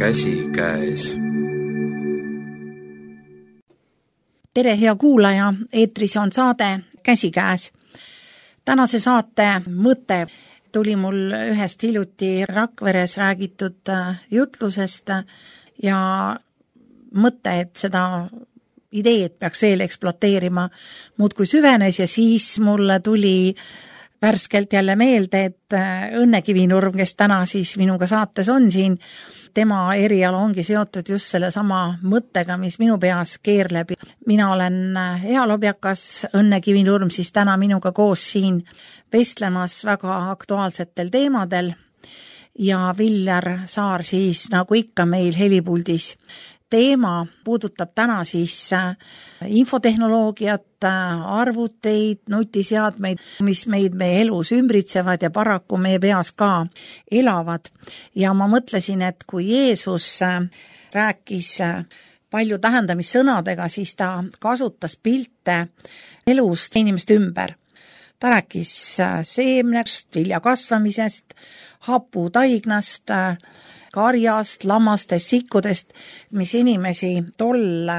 käsikäes. Tere, hea kuulaja, eetris on saade Käsikäes. Tänase saate mõte tuli mul ühest hiljuti Rakveres räägitud jutlusest ja mõte, et seda ideed peaks veel ekspluateerima, muudkui süvenes ja siis mulle tuli värskelt jälle meelde, et Õnne Kivinurm, kes täna siis minuga saates on siin, tema eriala ongi seotud just selle sama mõttega, mis minu peas keerleb. Mina olen ealobjakas, Õnne Kivinurm siis täna minuga koos siin vestlemas väga aktuaalsetel teemadel ja Viljar Saar siis nagu ikka meil helipuldis. Teema puudutab täna siis infotehnoloogiat, arvuteid, nutiseadmeid, mis meid meie elus ümbritsevad ja paraku meie peas ka elavad. Ja ma mõtlesin, et kui Jeesus rääkis palju tähendamissõnadega, siis ta kasutas pilte elust inimeste ümber. Ta rääkis seemnest, vilja kasvamisest, haputaignast, karjast, lammastest, sikkudest, mis inimesi tol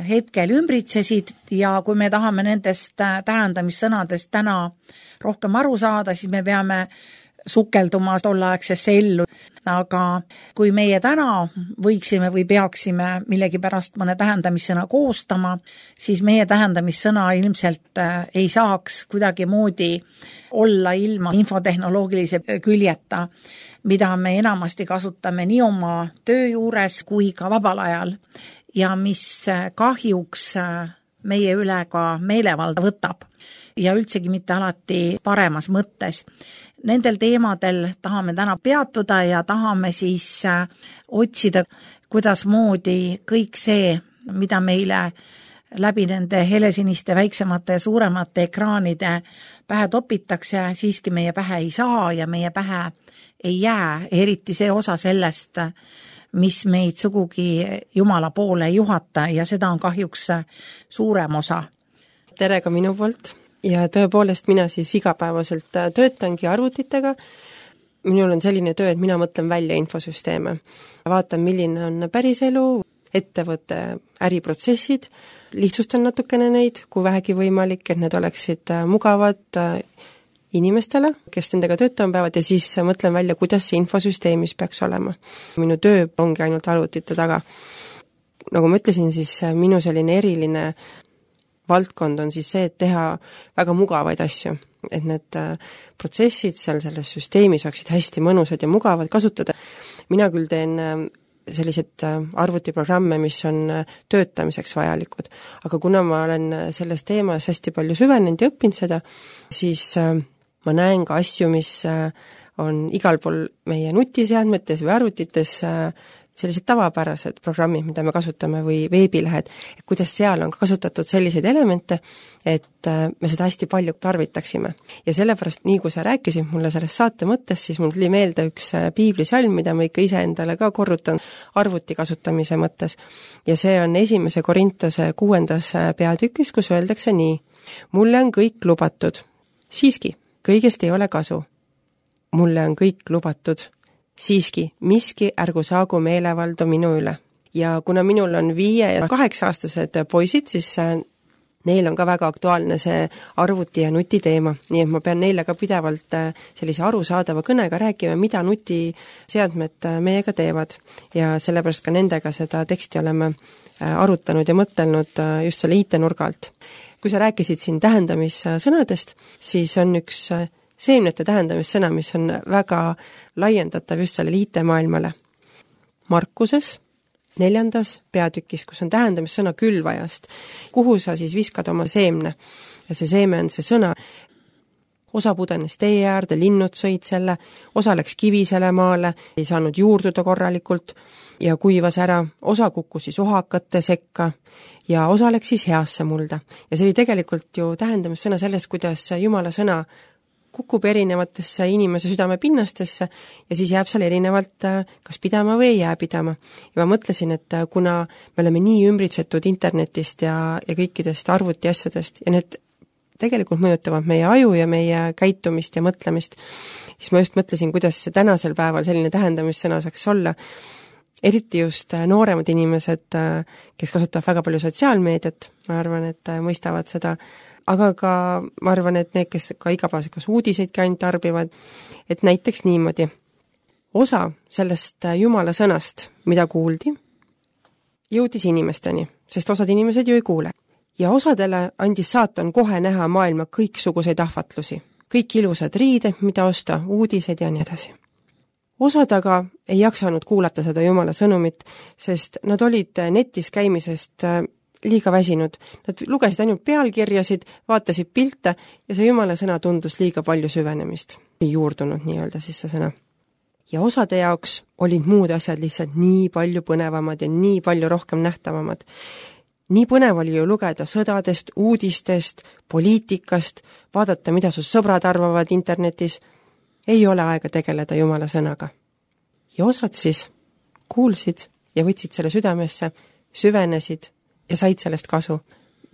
hetkel ümbritsesid ja kui me tahame nendest tähendamissõnadest täna rohkem aru saada, siis me peame sukelduma tolleaegsesse ellu. Aga kui meie täna võiksime või peaksime millegipärast mõne tähendamissõna koostama, siis meie tähendamissõna ilmselt ei saaks kuidagi moodi olla ilma infotehnoloogilise küljeta, mida me enamasti kasutame nii oma töö juures kui ka vabal ajal ja mis kahjuks meie üle ka meelevalda võtab ja üldsegi mitte alati paremas mõttes. Nendel teemadel tahame täna peatuda ja tahame siis otsida, kuidas moodi kõik see, mida meile läbi nende helesiniste, väiksemate ja suuremate ekraanide pähe topitakse, siiski meie pähe ei saa ja meie pähe ei jää, eriti see osa sellest, mis meid sugugi Jumala poole ei juhata ja seda on kahjuks suurem osa. Tere ka minu poolt ja tõepoolest mina siis igapäevaselt töötangi arvutitega. Minul on selline töö, et mina mõtlen välja infosüsteeme. Vaatan, milline on päriselu, ettevõtte äriprotsessid, lihtsustan natukene neid, kui vähegi võimalik, et need oleksid mugavad inimestele, kes nendega töötama peavad ja siis mõtlen välja, kuidas see infosüsteemis peaks olema. Minu töö ongi ainult arvutite taga. Nagu ma ütlesin, siis minu selline eriline valdkond on siis see, et teha väga mugavaid asju, et need protsessid seal selles süsteemis oleksid hästi mõnusad ja mugavad kasutada. Mina küll teen sellised arvutiprogramme, mis on töötamiseks vajalikud, aga kuna ma olen selles teemas hästi palju süvenenud ja õppinud seda, siis ma näen ka asju, mis on igal pool meie nutiseadmetes või arvutites sellised tavapärased programmid, mida me kasutame või veebilehed, et kuidas seal on kasutatud selliseid elemente, et me seda hästi palju tarvitaksime. Ja sellepärast, nii kui sa rääkisid mulle sellest saate mõttes, siis mul tuli meelde üks piiblisalm, mida ma ikka ise endale ka korrutan arvuti kasutamise mõttes. Ja see on 1. Korintuse 6. peatükis, kus öeldakse nii: mulle on kõik lubatud, siiski, kõigest ei ole kasu. Mulle on kõik lubatud, siiski, miski ärgu saagu meelevaldu minu üle. Ja kuna minul on 5- ja 8-aastased poisid, siis neil on ka väga aktuaalne see arvuti ja nutiteema, nii et ma pean neile ka pidevalt sellise arusaadava kõnega rääkima, mida nutiseadmed meiega teevad. Ja sellepärast ka nendega seda teksti oleme arutanud ja mõtelnud just selle IT-nurga alt. Kui sa rääkisid siin tähendamissõnadest, siis on üks seemnete tähendamissõna, mis on väga laiendatav just sellele IT-maailmale. Markuses 4. peatükis, kus on tähendamissõna külvajast, kuhu sa siis viskad oma seemne. Ja see seeme on see sõna. Osa pudenes tee äärde, linnud sõid selle, osa läks kivisele maale, ei saanud juurduda korralikult ja kuivas ära, osa kukkus siis ohakate sekka ja osa läks siis heasse mulda. Ja see oli tegelikult ju tähendamissõna sellest, kuidas Jumala sõna kukub erinevatesse inimese südame pinnastesse ja siis jääb seal erinevalt kas pidama või ei jää pidama. Ja ma mõtlesin, et kuna me oleme nii ümbritsetud internetist ja kõikidest arvuti asjadest ja need tegelikult mõjutavad meie aju ja meie käitumist ja mõtlemist, siis ma just mõtlesin, kuidas see tänasel päeval selline tähendamissõna saaks olla. eriti just nooremad inimesed, kes kasutavad väga palju sotsiaalmeediat, ma arvan, et mõistavad seda, aga ka ma arvan, et need, kes ka igapäevaselt kas uudiseidki ainult tarbivad, et näiteks niimoodi, osa sellest Jumala sõnast, mida kuuldi, jõudis inimesteni, sest osad inimesed ju ei kuule. Ja osadele andis saatan kohe näha maailma kõiksuguseid ahvatlusi, kõik ilusad riided, mida osta, uudised ja nii edasi. Osad aga ei jaksanud kuulata seda Jumala sõnumit, sest nad olid netis käimisest liiga väsinud. Nad lugesid ainult pealkirjasid, vaatasid pilte ja see Jumala sõna tundus liiga palju süvenemist. Ei juurdunud nii-öelda siis see sõna. Ja osade jaoks olid muud asjad lihtsalt nii palju põnevamad ja nii palju rohkem nähtavamad. Nii põnev oli ju lugeda sõdadest, uudistest, poliitikast, vaadata, mida su sõbrad arvavad internetis. Ei ole aega tegeleda Jumala sõnaga. Ja osad siis kuulsid ja võtsid selle südamesse, süvenesid ja said sellest kasu.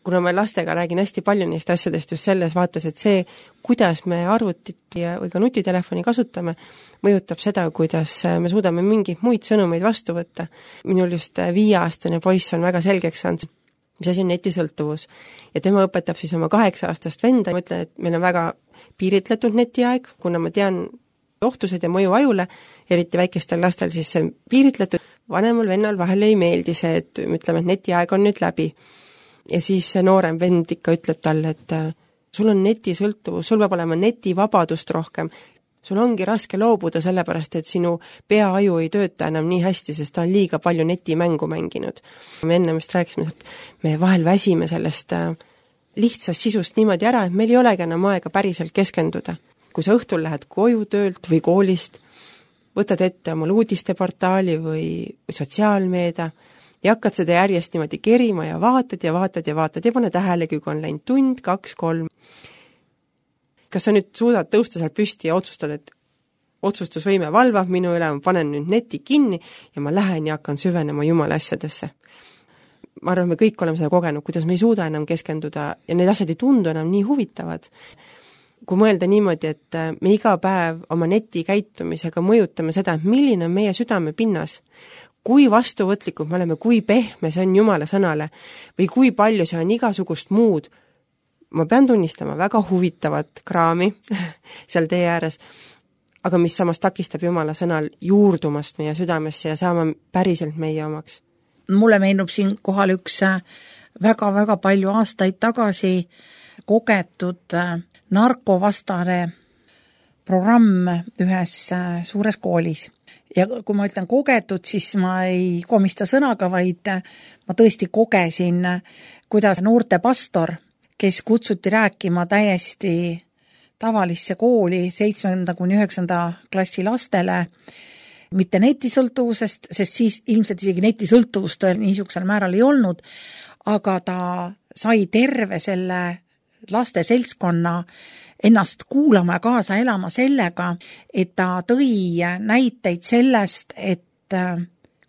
Kuna ma lastega räägin hästi palju neist asjadest just selles vaates, et see, kuidas me arvutit või ka nutitelefoni kasutame, mõjutab seda, kuidas me suudame mingeid muid sõnumeid vastu võtta. Minul just 5-aastane poiss on väga selgeks saanud, mis asi on netisõltuvus. Ja tema õpetab siis oma 8-aastast venda ja ma ütlen, et meil on väga piiritletud netiaeg, kuna ma tean ohtused ja mõju ajule, eriti väikestel lastel, siis see on piiritletud. Vanemal vennal vahel ei meeldi see, et ütleme, et netiaeg on nüüd läbi. Ja siis see noorem vend ikka ütleb talle, et sul on netisõltuvus, sul peab olema netivabadust rohkem. Sul ongi raske loobuda sellepärast, et sinu peaaju ei tööta enam nii hästi, sest ta on liiga palju netimängu mänginud. Me enne vist rääkisime, et me vahel väsime sellest lihtsast sisust niimoodi ära, et meil ei olegi enam aega päriselt keskenduda. Kui sa õhtul lähed koju töölt või koolist, võtad ette omal uudisteportaali või sotsiaalmeedia ja hakkad seda järjest niimoodi kerima ja vaatad ja pane tähelegi, kui on läinud tund, 2, 3. Kas sa nüüd suudad tõusta seal püsti ja otsustad, et otsustusvõime valvab minu üle, ma panen nüüd neti kinni ja ma lähen ja hakkan süvenema Jumala asjadesse. Ma arvan, me kõik oleme seda kogenud, kuidas me ei suuda enam keskenduda ja need asjad ei tundu enam nii huvitavad. Kui mõelda niimoodi, et me iga päev oma netikäitumisega mõjutame seda, milline on meie südame pinnas, kui vastuvõtlikud me oleme, kui pehme see on Jumala sõnale või kui palju see on igasugust muud, ma pean tunnistama väga huvitavat kraami seal tee ääres, aga mis samas takistab Jumala sõnal juurdumast meie südamesse ja saama päriselt meie omaks. Mulle meenub siin kohal üks väga-väga palju aastaid tagasi kogetud narkovastane programm ühes suures koolis. Ja kui ma ütlen kogetud, siis ma ei komista sõnaga, vaid ma tõesti kogesin, kuidas noorte pastor, kes kutsuti rääkima täiesti tavalisse kooli 7.–9. klassi lastele, mitte netisõltuvusest, sest siis ilmselt isegi netisõltuvust niisugusel määral ei olnud, aga ta sai terve selle laste seltskonna ennast kuulama ja kaasa elama sellega, et ta tõi näiteid sellest, et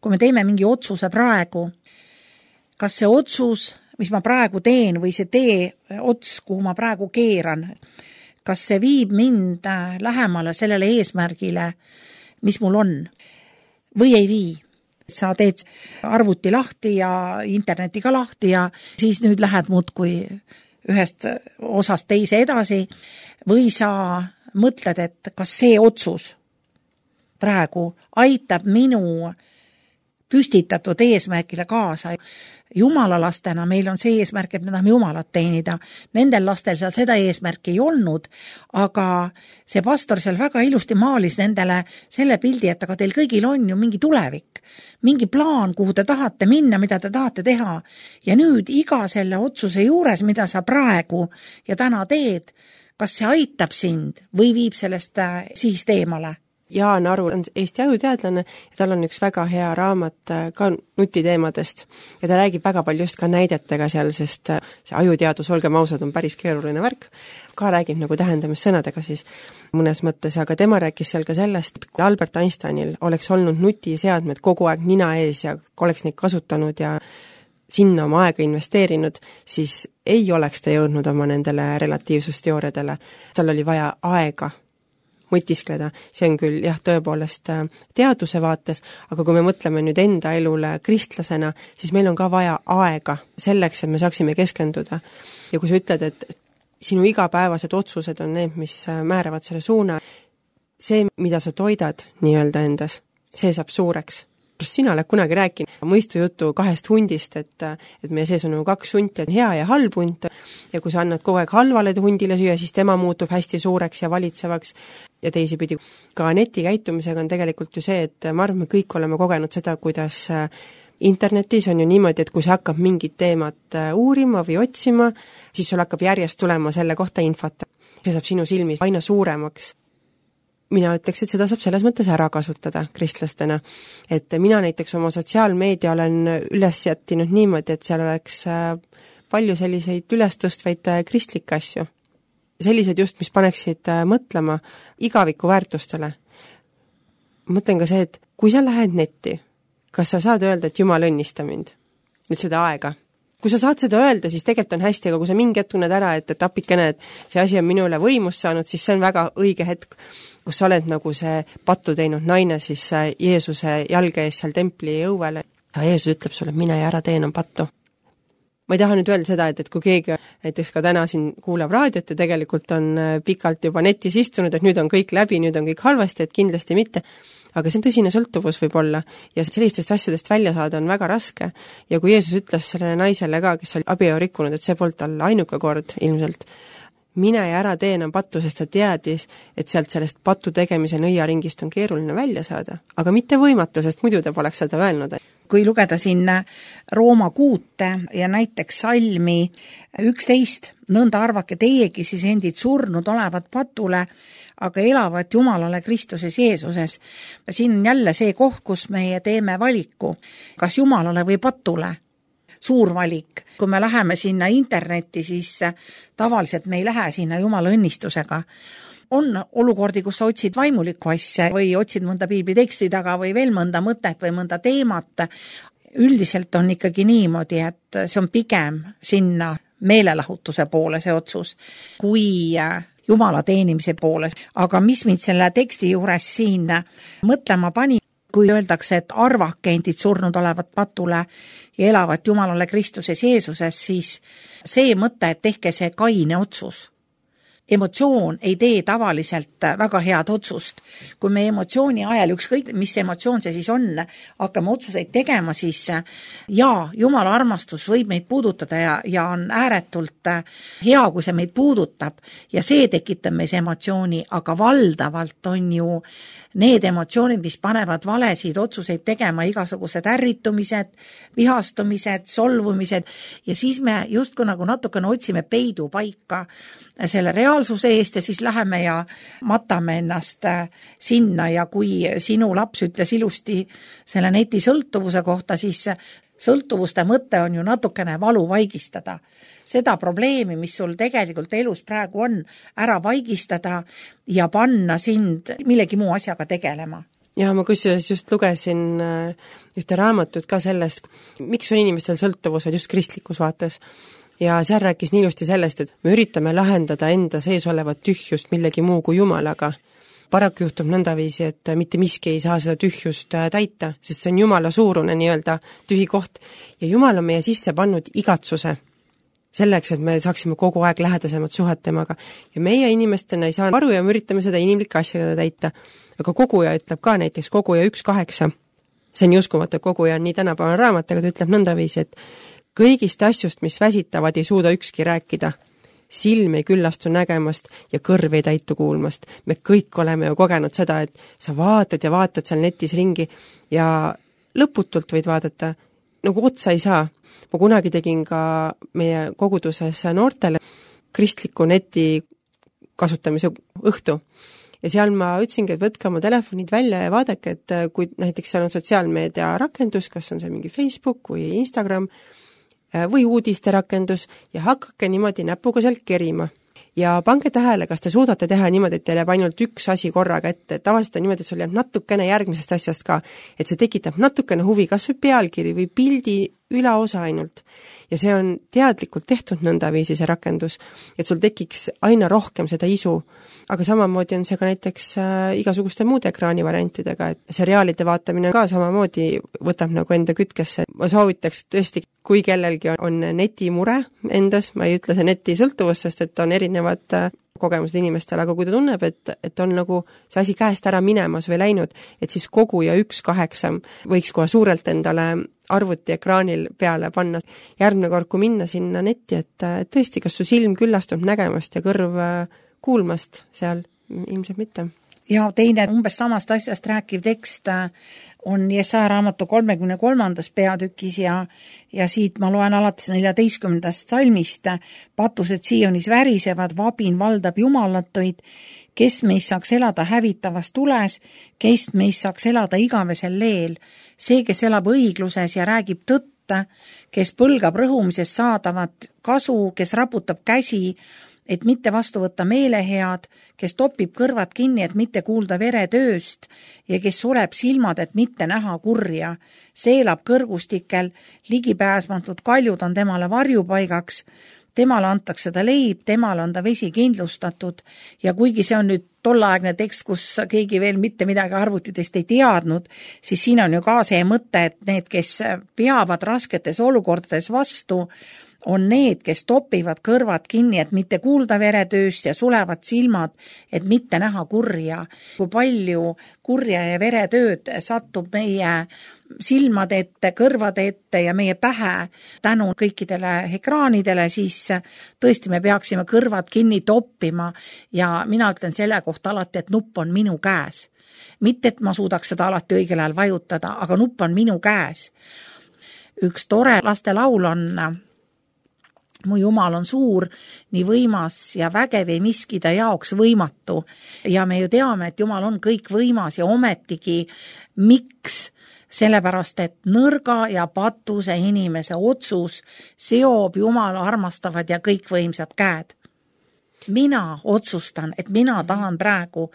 kui me teeme mingi otsuse praegu, kas see otsus, mis ma praegu teen või see tee ots, kuhu ma praegu keeran, kas see viib mind lähemale sellele eesmärgile, mis mul on, või ei vii. Sa teed arvuti lahti ja interneti ka lahti ja siis nüüd lähed muudkui ühest osast teise edasi või sa mõtled, et kas see otsus praegu aitab minu püstitatud eesmärgile kaasa. Jumala lastena meil on see eesmärk, et me tahame Jumalat teenida. Nendel lastel seal seda eesmärki ei olnud, aga see pastor seal väga ilusti maalis nendele selle pildi, et aga teil kõigil on ju mingi tulevik, mingi plaan, kuhu te tahate minna, mida te tahate teha. Ja nüüd iga selle otsuse juures, mida sa praegu ja täna teed, kas see aitab sind või viib sellest sihist eemale? Jaan Aru on Eesti ajuteadlane ja tal on üks väga hea raamat ka nutiteemadest ja ta räägib väga palju just ka näidetega seal, sest see ajuteadus, olgem ausad, on päris keeruline värk. Ka räägib nagu tähendamissõnadega siis mõnes mõttes, aga tema rääkis seal ka sellest, et kui Albert Einsteinil oleks olnud nutiseadmed kogu aeg nina ees ja oleks neid kasutanud ja sinna oma aega investeerinud, siis ei oleks ta jõudnud oma nendele relatiivsusteooriadele. Tal oli vaja aega mõtiskleda. See on küll jah, tõepoolest teaduse vaates, aga kui me mõtleme nüüd enda elule kristlasena, siis meil on ka vaja aega selleks, et me saaksime keskenduda. Ja kui sa ütled, et sinu igapäevased otsused on need, mis määravad selle suuna, see, mida sa toidad nii-öelda endas, see saab suureks. Sina oled kunagi rääkinud mõistujutu 2 hundist, et meie sees on 2 hunti, hea ja halb hunt, ja kui sa annad kogu aeg halvale hundile süüa, siis tema muutub hästi suureks ja valitsevaks, ja teisipidi ka netikäitumisega on tegelikult ju see, et ma arvan, me kõik oleme kogenud seda, kuidas internetis on ju niimoodi, et kui sa hakkab mingit teemat uurima või otsima, siis sul hakkab järjest tulema selle kohta infot. See saab sinu silmis aina suuremaks. Mina ütleks, et seda saab selles mõttes ära kasutada kristlastena. Et mina näiteks oma sotsiaalmeedia olen üles jättinud niimoodi, et seal oleks palju selliseid ülestõstvaid kristlikke asju. Sellised just, mis paneksid mõtlema igaviku väärtustele. Mõtlen ka see, et kui sa lähed netti, kas sa saad öelda, et Jumal õnnista mind? Nüüd seda aega. Kui sa saad seda öelda, siis tegelikult on hästi, aga kui sa mingi hetk tunned ära, et apikene, et see asi on minule võimust saanud, siis see on väga õige hetk, kus sa oled nagu see pattu teinud naine siis Jeesuse jalge ees seal templi õuele. Ja Jeesus ütleb sulle, mine ja ära tee enam pattu. Ma ei taha nüüd öelda seda, et kui keegi näiteks ka täna siin kuulab raadiot ja tegelikult on pikalt juba netis istunud, et nüüd on kõik läbi, nüüd on kõik halvasti, et kindlasti mitte. Aga see on tõsine sõltuvus võib olla ja sellistest asjadest välja saada on väga raske. Ja kui Jeesus ütles sellele naisele ka, kes oli abielu rikkunud, et see polnud tal ainuke kord ilmselt, mine ja ära tee enam pattu, sest ta teadis, et sealt sellest pattu tegemise nõiaringist on keeruline välja saada. Aga mitte võimatu, sest muidu ta poleks seda öelnud. Kui lugeda sinna Rooma 6 ja näiteks salmi 11, nõnda arvake teiegi siis endid surnud olevat patule, aga elavad Jumalale Kristuses Jeesuses. Siin on jälle see koht, kus meie teeme valiku, kas Jumalale või patule. Suur valik. Kui me läheme sinna internetti, siis tavaliselt me ei lähe sinna Jumala õnnistusega. On olukordi, kus sa otsid vaimulikku asja või otsid mõnda piibliteksti taga või veel mõnda mõtet või mõnda teemat. Üldiselt on ikkagi niimoodi, et see on pigem sinna meelelahutuse poole see otsus, kui Jumala teenimise poole. Aga mis mind selle teksti juures siin mõtlema pani, kui öeldakse, et arvake endid surnud olevat patule ja elavad Jumalale Kristuses Jeesuses, siis see mõte, et tehke see kaine otsus. Emotsioon ei tee tavaliselt väga head otsust. Kui me emotsiooni ajal, ükskõik mis emotsioon see siis on, hakkame otsuseid tegema, siis Jumala armastus võib meid puudutada ja on ääretult hea, kui see meid puudutab ja see tekitab meis emotsiooni, aga valdavalt on ju need emotsioonid, mis panevad valesid otsuseid tegema, igasugused ärritumised, vihastumised, solvumised ja siis me justkui nagu natukene otsime peidu paika selle reaalsuse eest ja siis läheme ja matame ennast sinna ja kui sinu laps ütles ilusti selle netisõltuvuse kohta, siis sõltuvuste mõte on ju natukene valu vaigistada. Seda probleemi, mis sul tegelikult elus praegu on, ära vaigistada ja panna sind millegi muu asjaga tegelema. Ja ma kusjuures just lugesin ühte raamatut ka sellest, miks on inimestel sõltuvused just kristlikus vaates. Ja seal rääkis nii ilusti sellest, et me üritame lahendada enda sees olevat tühjust millegi muu kui Jumalaga. Paraku juhtub nõndaviisi, et mitte miski ei saa seda tühjust täita, sest see on Jumala suurune nii-öelda tühi koht. Ja Jumal on meie sisse pannud igatsuse selleks, et me saaksime kogu aeg lähedasemad suhet temaga. Ja meie inimestena ei saa aru ja me üritame seda inimlike asjadega täita. Aga koguja ütleb ka näiteks koguja 1.8. See on uskumatu, koguja on nii tänapäeval raamat, aga ta ütleb nõndaviisi, et kõigist asjust, mis väsitavad, ei suuda ükski rääkida. Silm ei küllastu nägemast ja kõrv ei täitu kuulmast. Me kõik oleme ju kogenud seda, et sa vaatad ja vaatad seal netis ringi ja lõputult võid vaadata, nagu otsa ei saa. Ma kunagi tegin ka meie koguduses noortele kristliku neti kasutamise õhtu. Ja seal ma ütlesingi, et võtke oma telefonid välja ja vaadake, et kui näiteks seal on sotsiaalmeedia rakendus, kas on see mingi Facebook või Instagram või uudiste rakendus ja hakake niimoodi näpuga sealt kerima. Ja pange tähele, kas te suudate teha niimoodi, et teil jääb ainult üks asi korraga ette. Tavaliselt on niimoodi, et sul jääb natukene järgmisest asjast ka, et see tekitab natukene huvi, kas või pealkiri või pildi ülaosa ainult. Ja see on teadlikult tehtud nõndaviisi see rakendus, et sul tekiks aina rohkem seda isu. Aga samamoodi on see ka näiteks igasuguste muude ekraanivariantidega, et seriaalide vaatamine ka samamoodi võtab nagu enda kütkesse. Ma soovitaks tõesti, kui kellelgi on netimure endas, ma ei ütle see netisõltuvus, sest et on erinevad kogemused inimestel, aga kui ta tunneb, et on nagu see asi käest ära minemas või läinud, et siis kogu ja 1/8 võiks kohe suurelt endale arvuti ekraanil peale panna. Järgmine kord, kui minna sinna netti, et tõesti, kas su silm küllastub nägemast ja kõrv kuulmast seal, ilmselt mitte. Ja teine umbes samast asjast rääkiv tekst on Jesaja raamatu 33. peatükis ja siit ma loen alates 14. salmist. Patused Sionis värisevad, vabin valdab jumalatuid, kes meist saaks elada hävitavas tules, kes meist saaks elada igavesel leel. See, kes elab õigluses ja räägib tõtta, kes põlgab rõhumisest saadavat kasu, kes raputab käsi, et mitte vastu võtta meelehead, kes topib kõrvad kinni, et mitte kuulda veretööst ja kes suleb silmad, et mitte näha kurja. See elab kõrgustikel, ligipääsmatud kaljud on temale varjupaigaks, temale antakse ta leib, temale on ta vesi kindlustatud ja kuigi see on nüüd tollaegne tekst, kus keegi veel mitte midagi arvutitest ei teadnud, siis siin on ju ka see mõte, et need, kes peavad rasketes olukordades vastu, on need, kes topivad kõrvad kinni, et mitte kuulda veretööst ja sulevad silmad, et mitte näha kurja. Kui palju kurja ja veretööd satub meie silmade ette, kõrvade ette ja meie pähe tänu kõikidele ekraanidele, siis tõesti me peaksime kõrvad kinni toppima ja mina ütlen selle kohta alati, et nupp on minu käes. Mitte, et ma suudaks seda alati õigel ajal vajutada, aga nupp on minu käes. Üks tore lastelaul on Mu Jumal on suur, nii võimas ja vägev ei miski ta jaoks võimatu. Ja me ju teame, et Jumal on kõik võimas ja ometigi miks? Sellepärast, et nõrga ja patuse inimese otsus seob Jumala armastavad ja kõikvõimsad käed. Mina otsustan, et mina tahan praegu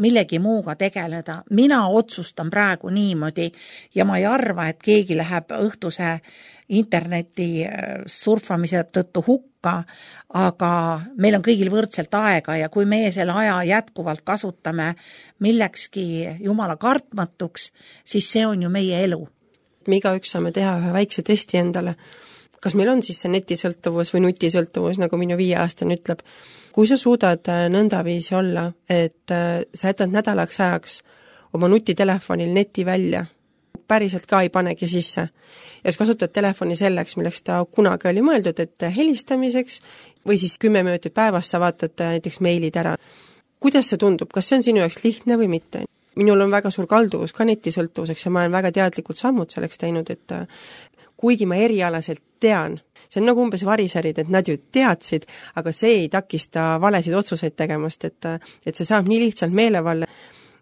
millegi muuga tegeleda. Mina otsustan praegu niimoodi ja ma ei arva, et keegi läheb õhtuse interneti surfamise tõttu hukka, aga meil on kõigil võrdselt aega ja kui meie selle aja jätkuvalt kasutame millekski Jumala kartmatuks, siis see on ju meie elu. Me igaüks saame teha ühe väikse testi endale. Kas meil on siis see netisõltuvus või nutisõltuvus, nagu minu 5-aastane ütleb. Kui sa suudad nõndaviisi olla, et sa jätad nädalaks ajaks oma nutitelefonil neti välja, päriselt ka ei panegi sisse, ja sa kasutad telefoni selleks, milleks ta kunagi oli mõeldud, et helistamiseks või siis 10 minutit päevas sa vaatad näiteks meilid ära. Kuidas see tundub? Kas see on sinu jaoks lihtne või mitte? Minul on väga suur kalduvus ka netisõltuvuseks ja ma olen väga teadlikult sammud selleks teinud, et kuigi ma erialaselt tean, see on nagu umbes variserid, et nad ju teadsid, aga see ei takista valesid otsuseid tegemast, et see saab nii lihtsalt meelevalle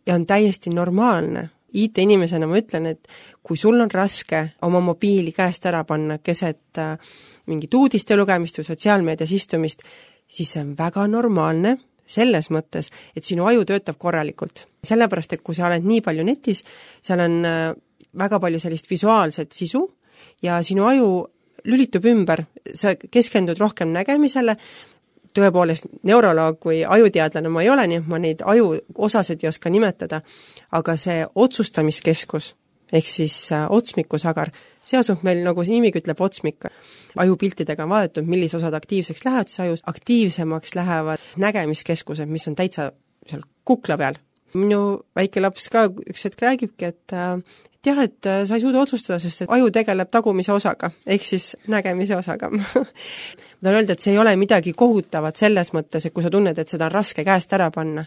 ja on täiesti normaalne. IT-inimesena ma ütlen, et kui sul on raske oma mobiili käest ära panna keset mingit uudiste lugemist või sotsiaalmeedias istumist, siis see on väga normaalne selles mõttes, et sinu aju töötab korralikult. Sellepärast, et kui sa oled nii palju netis, seal on väga palju sellist visuaalset sisu ja sinu aju lülitub ümber, sa keskendud rohkem nägemisele, tõepoolest neuroloog või ajuteadlane ma ei ole, nii et ma neid aju osasid ei oska nimetada, aga see otsustamiskeskus, ehk siis otsmikusagar, see asub meil, nagu see nimigi ütleb, otsmik. Ajupiltidega on vaadatud, millised osad aktiivseks lähevad, siis ajus aktiivsemaks lähevad nägemiskeskused, mis on täitsa seal kukla peal. Minu väike laps ka üks hetk räägibki, et jah, et sa ei suuda otsustada, sest aju tegeleb tagumise osaga, ehk siis nägemise osaga. Ma tahan öelda, et see ei ole midagi kohutavat selles mõttes, et kui sa tunned, et seda on raske käest ära panna.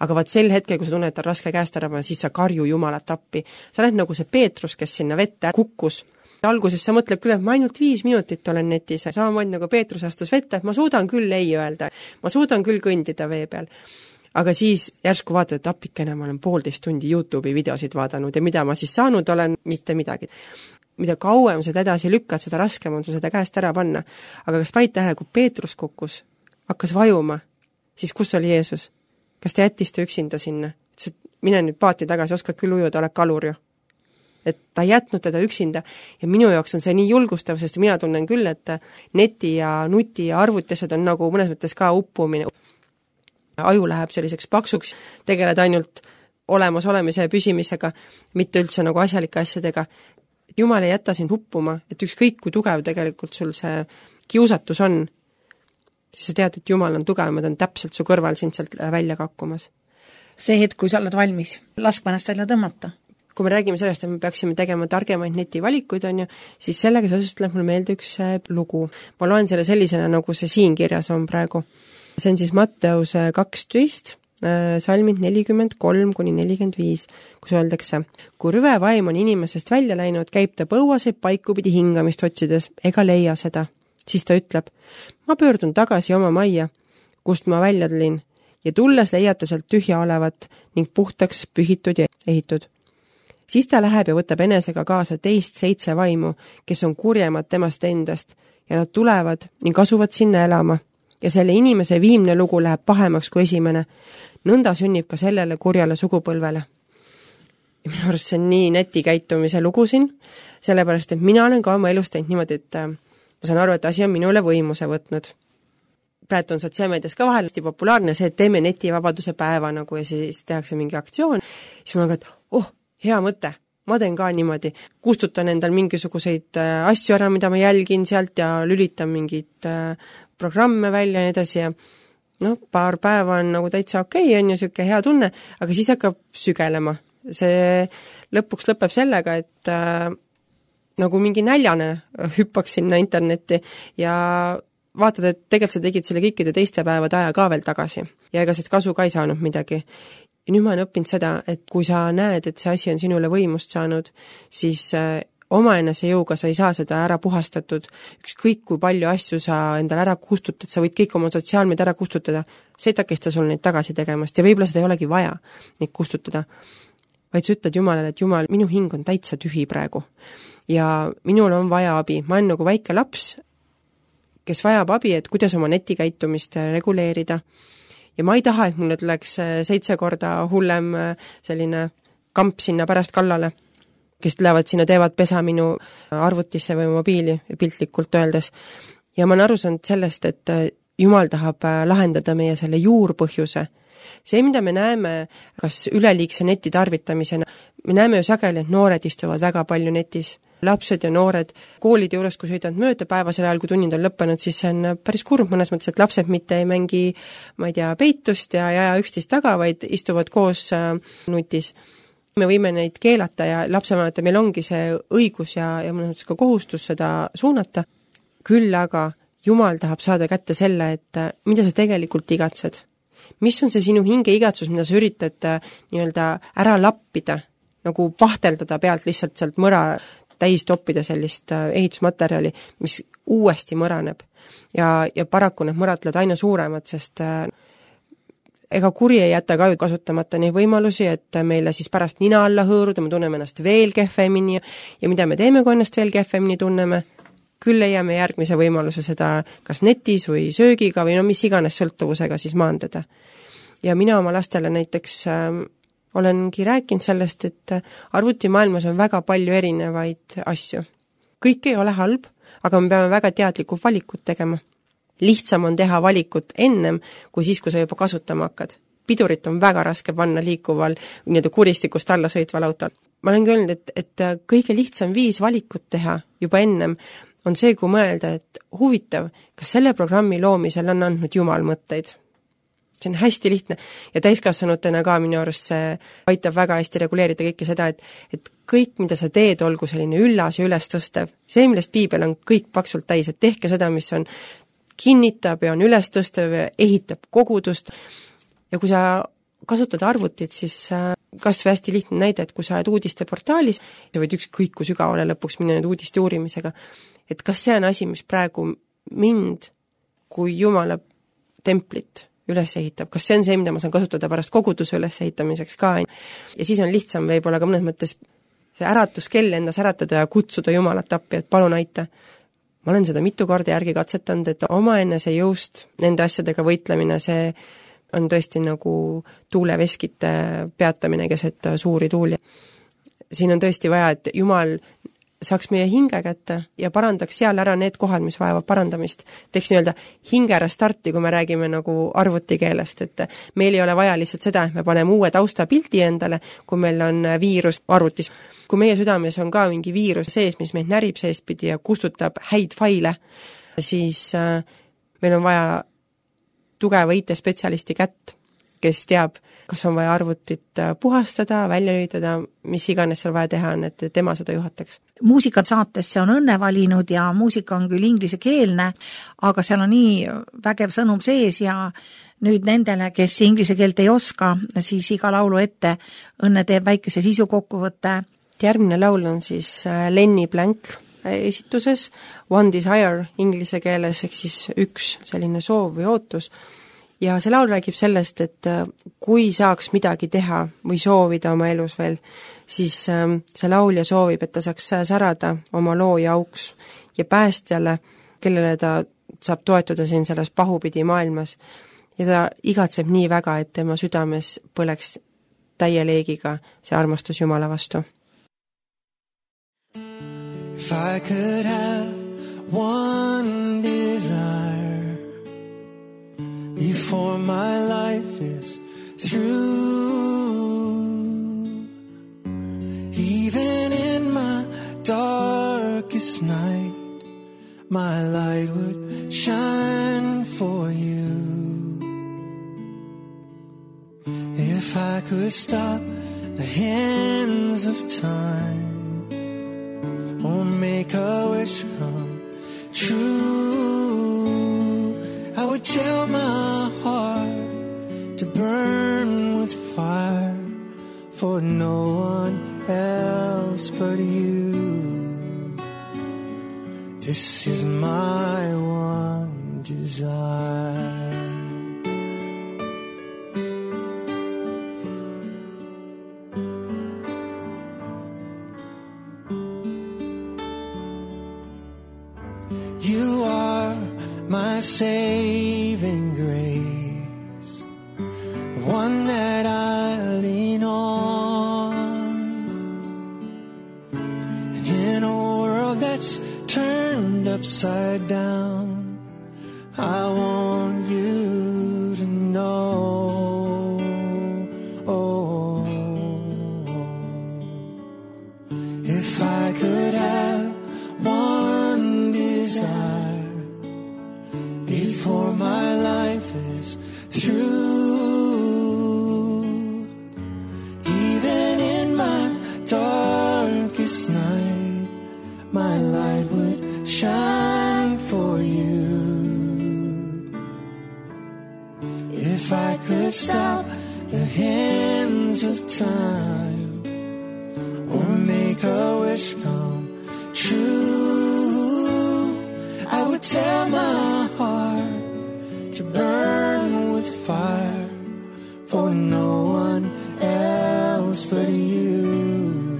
Aga vaat sel hetkel, kui sa tunned, et on raske käest ära panna, siis sa karju Jumalat appi. Sa oled nagu see Peetrus, kes sinna vette kukkus. Alguses sa mõtled küll, et ma ainult 5 minutit olen netis. Samamoodi nagu Peetrus astus vette, et ma suudan küll ei öelda. Ma suudan küll kõndida vee peal. Aga siis järsku vaatad, et appikene, ma olen 1,5 tundi YouTube'i videosid vaadanud ja mida ma siis saanud olen, mitte midagi. Mida kauem seda edasi lükkad, seda raskem on sul seda käest ära panna. Aga kas paid tähele, kui Peetrus kukkus, hakkas vajuma, siis kus oli Jeesus? Kas ta jättis ta üksinda sinna? Ütles, et mine nüüd paati tagasi, oskad küll ujuda, oled kalur ju. et ta ei jätnud teda üksinda ja minu jaoks on see nii julgustav, sest mina tunnen küll, et neti ja nuti ja arvutised on nagu mõnes mõttes ka uppumine. Aju läheb selliseks paksuks, tegeled ainult olemasolemise ja püsimisega, mitte üldse nagu asjalike asjadega. Jumal ei jäta sind uppuma, et ükskõik kui tugev tegelikult sul see kiusatus on, siis sa tead, et Jumal on tugevam ja ta on täpselt su kõrval sind sealt välja kakkumas. See hetk, kui sa oled valmis, laskma ennast välja tõmmata. Kui me räägime sellest, et me peaksime tegema targemaid netivalikuid, on ju, siis sellega seoses tuleb mulle meelde üks lugu. Ma loen selle sellisena, nagu see siin kirjas on praegu. See on siis Matteuse 12, salmid 43-45, kus öeldakse, kui rüve vaim on inimesest välja läinud, käib ta põuaseid paikupidi hingamist otsides ega leia seda. Siis ta ütleb, ma pöördun tagasi oma majja, kust ma välja tulin, ja tulles leiab ta sealt tühja olevat ning puhtaks pühitud ja ehitud. Siis ta läheb ja võtab enesega kaasa teist 7 vaimu, kes on kurjemad temast endast, ja nad tulevad ning asuvad sinna elama. Ja selle inimese viimne lugu läheb pahemaks kui esimene. Nõnda sünnib ka sellele kurjale sugupõlvele. Ja minu arust see on nii netikäitumise lugu siin, sellepärast, et mina olen ka oma elus teinud niimoodi, et ma saan aru, et asi on minule võimuse võtnud. Praegu on sotsiaalmeedias ka vahel populaarne see, et teeme netivabaduse päeva nagu ja siis tehakse mingi aktsioon. Siis mul on ka, et hea mõte, ma teen ka niimoodi. Kustutan endal mingisuguseid asju ära, mida ma jälgin sealt ja lülitan mingid programme välja ja nii edasi ja paar päeva on nagu täitsa okei, on ju siuke hea tunne, aga siis hakkab sügelema. See lõpuks lõpeb sellega, et nagu mingi näljane hüppaks sinna internetti ja vaatad, et tegelikult sa tegid selle kõikide teiste päevade aja ka veel tagasi ja ega sest kasu ka ei saanud midagi. Ja nüüd ma olen õppinud seda, et kui sa näed, et see asi on sinule võimust saanud, siis omaenese jõuga sa ei saa seda ära puhastatud. Ükskõik kui palju asju sa endal ära kustutad, sa võid kõik oma sotsiaalmeid ära kustutada, see ei takista sul neid tagasi tegemast ja võib-olla seda ei olegi vaja neid kustutada. Vaid sa ütled Jumalale, et Jumal, minu hing on täitsa tühi praegu ja minul on vaja abi. Ma olen nagu väike laps, kes vajab abi, et kuidas oma netikäitumist reguleerida. Ja ma ei taha, et mulle tuleks 7 korda hullem selline kamp sinna pärast kallale, kes tulevad sinna, teevad pesa minu arvutisse või mobiili piltlikult öeldes. Ja ma olen aru saanud sellest, et Jumal tahab lahendada meie selle juurpõhjuse. See, mida me näeme, kas üleliigse neti tarvitamisena, me näeme ju sageli, et noored istuvad väga palju netis. Lapsed ja noored koolide juures, kui sõidavad mööda päevasel ajal, kui tunnid on lõppenud, siis see on päris kurb mõnes mõttes, et lapsed mitte ei mängi, ma ei tea, peitust ja aja üksteist taga, vaid istuvad koos nutis. Me võime neid keelata ja lapsevanemate meil ongi see õigus ja mõnes mõttes ka kohustus seda suunata. Küll aga Jumal tahab saada kätte selle, et mida sa tegelikult igatsed. Mis on see sinu hinge igatsus, mida sa üritad nii-öelda ära lappida, nagu pahteldada pealt lihtsalt sealt mõra täis toppida sellist ehitusmaterjali, mis uuesti mõraneb. Ja paraku need mõrad tulevad aina suuremad, sest ega kuri ei jäta ka kasutamata neid võimalusi, et meile siis pärast nina alla hõõruda, me tunneme ennast veel kehvemini ja mida me teeme, kui ennast veel kehvemini tunneme, küll leiame järgmise võimaluse seda kas netis või söögiga või mis iganes sõltuvusega siis maandada. Ja mina oma lastele näiteks olengi rääkinud sellest, et arvutimaailmas on väga palju erinevaid asju. Kõik ei ole halb, aga me peame väga teadlikud valikut tegema. Lihtsam on teha valikut ennem, kui siis, kui sa juba kasutama hakkad. Pidurit on väga raske panna liikuval, nii-öelda kuristikust alla sõitval autol. Ma olen öelnud, et kõige lihtsam viis valikut teha juba ennem on see, kui mõelda, et huvitav, kas selle programmi loomisel on andnud Jumal mõtteid. See on hästi lihtne ja täiskasvanutena ka minu arust see aitab väga hästi reguleerida kõike seda, et kõik, mida sa teed, olgu selline üllas ja üles tõstev. See, millest piibel on kõik paksult täis, et tehke seda, mis on kinnitab ja on üles tõstev ja ehitab kogudust. Ja kui sa kasutad arvutit, siis kas või hästi lihtne näide, et kui sa oled uudiste portaalis, sa võid ükskõik kui sügavale lõpuks minna nüüd uudiste uurimisega, et kas see on asi, mis praegu mind kui Jumala templit üles ehitab, kas see on see, mida ma saan kasutada pärast koguduse üles ehitamiseks ka. Ja siis on lihtsam võib-olla ka mõnes mõttes see äratuskell endas äratada ja kutsuda Jumalat appi, et palun aita. Ma olen seda mitu korda järgi katsetanud, et omaenese jõust nende asjadega võitlemine, see on tõesti nagu tuuleveskite peatamine keset suuri tuuli. siin on tõesti vaja, et Jumal saaks meie hinge kätte ja parandaks seal ära need kohad, mis vajavad parandamist. Teeks nii-öelda hinge restarti, kui me räägime nagu arvutikeelest, et meil ei ole vaja lihtsalt seda, et me paneme uue taustapildi endale, kui meil on viirus arvutis. Kui meie südames on ka mingi viirus sees, mis meid närib seestpidi ja kustutab häid faile, siis meil on vaja tugeva IT-spetsialisti kätt, kes teab, kas on vaja arvutit puhastada, välja lülitada, mis iganes seal vaja teha on, et tema seda juhataks. Muusikasaatesse on Õnne valinud ja muusika on küll inglisekeelne, aga seal on nii vägev sõnum sees ja nüüd nendele, kes inglise keelt ei oska, siis iga laulu ette Õnne teeb väikese sisukokkuvõtte. Järgmine laul on siis Lenny Blank esituses, One Desire inglise keeles, ehk siis üks selline soov või ootus. Ja see laul räägib sellest, et kui saaks midagi teha või soovida oma elus veel, siis see laulja soovib, et ta saaks särada oma looja auks ja päästjale, kellele ta saab toetuda siin selles pahupidi maailmas. Ja ta igatseb nii väga, et tema südames põleks täie leegiga see armastus Jumala vastu. If I could have one desire before my life is through, even in my darkest night, my light would shine for you. If I could stop the hands of time or make a wish come true, I would tell my heart to burn with fire for no one else but you. This is my one desire. You are my saving grace, one that I lean on. And in a world that's turned upside down, I want you to know. Oh, if I could have one desire before my life is through, even in my darkest night, my light would shine for you. If I could stop the hands of time or make a wish come true, I would tell my heart to burn with fire for no one else but you.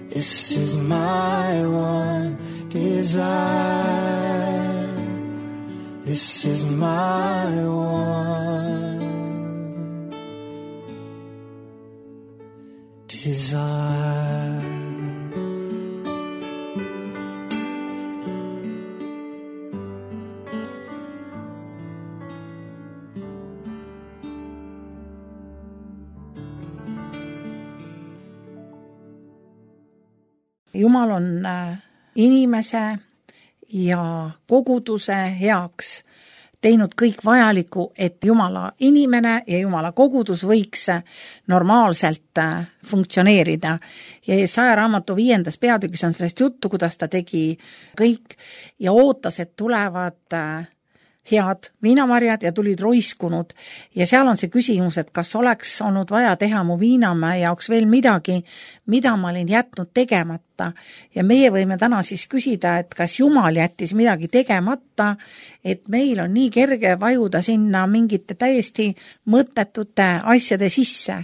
This is my one desire. This is my one desire. Jumal on inimese ja koguduse heaks teinud kõik vajaliku, et Jumala inimene ja Jumala kogudus võiks normaalselt funktsioneerida. Ja Jesaja raamatu 5. peatükis on sellest juttu, kuidas ta tegi kõik ja ootas, et tulevad head viinamarjad ja tulid roiskunud. Ja seal on see küsimus, et kas oleks olnud vaja teha mu viinamäe jaoks veel midagi, mida ma olin jätnud tegemata. Ja meie võime täna siis küsida, et kas Jumal jättis midagi tegemata, et meil on nii kerge vajuda sinna mingite täiesti mõttetute asjade sisse.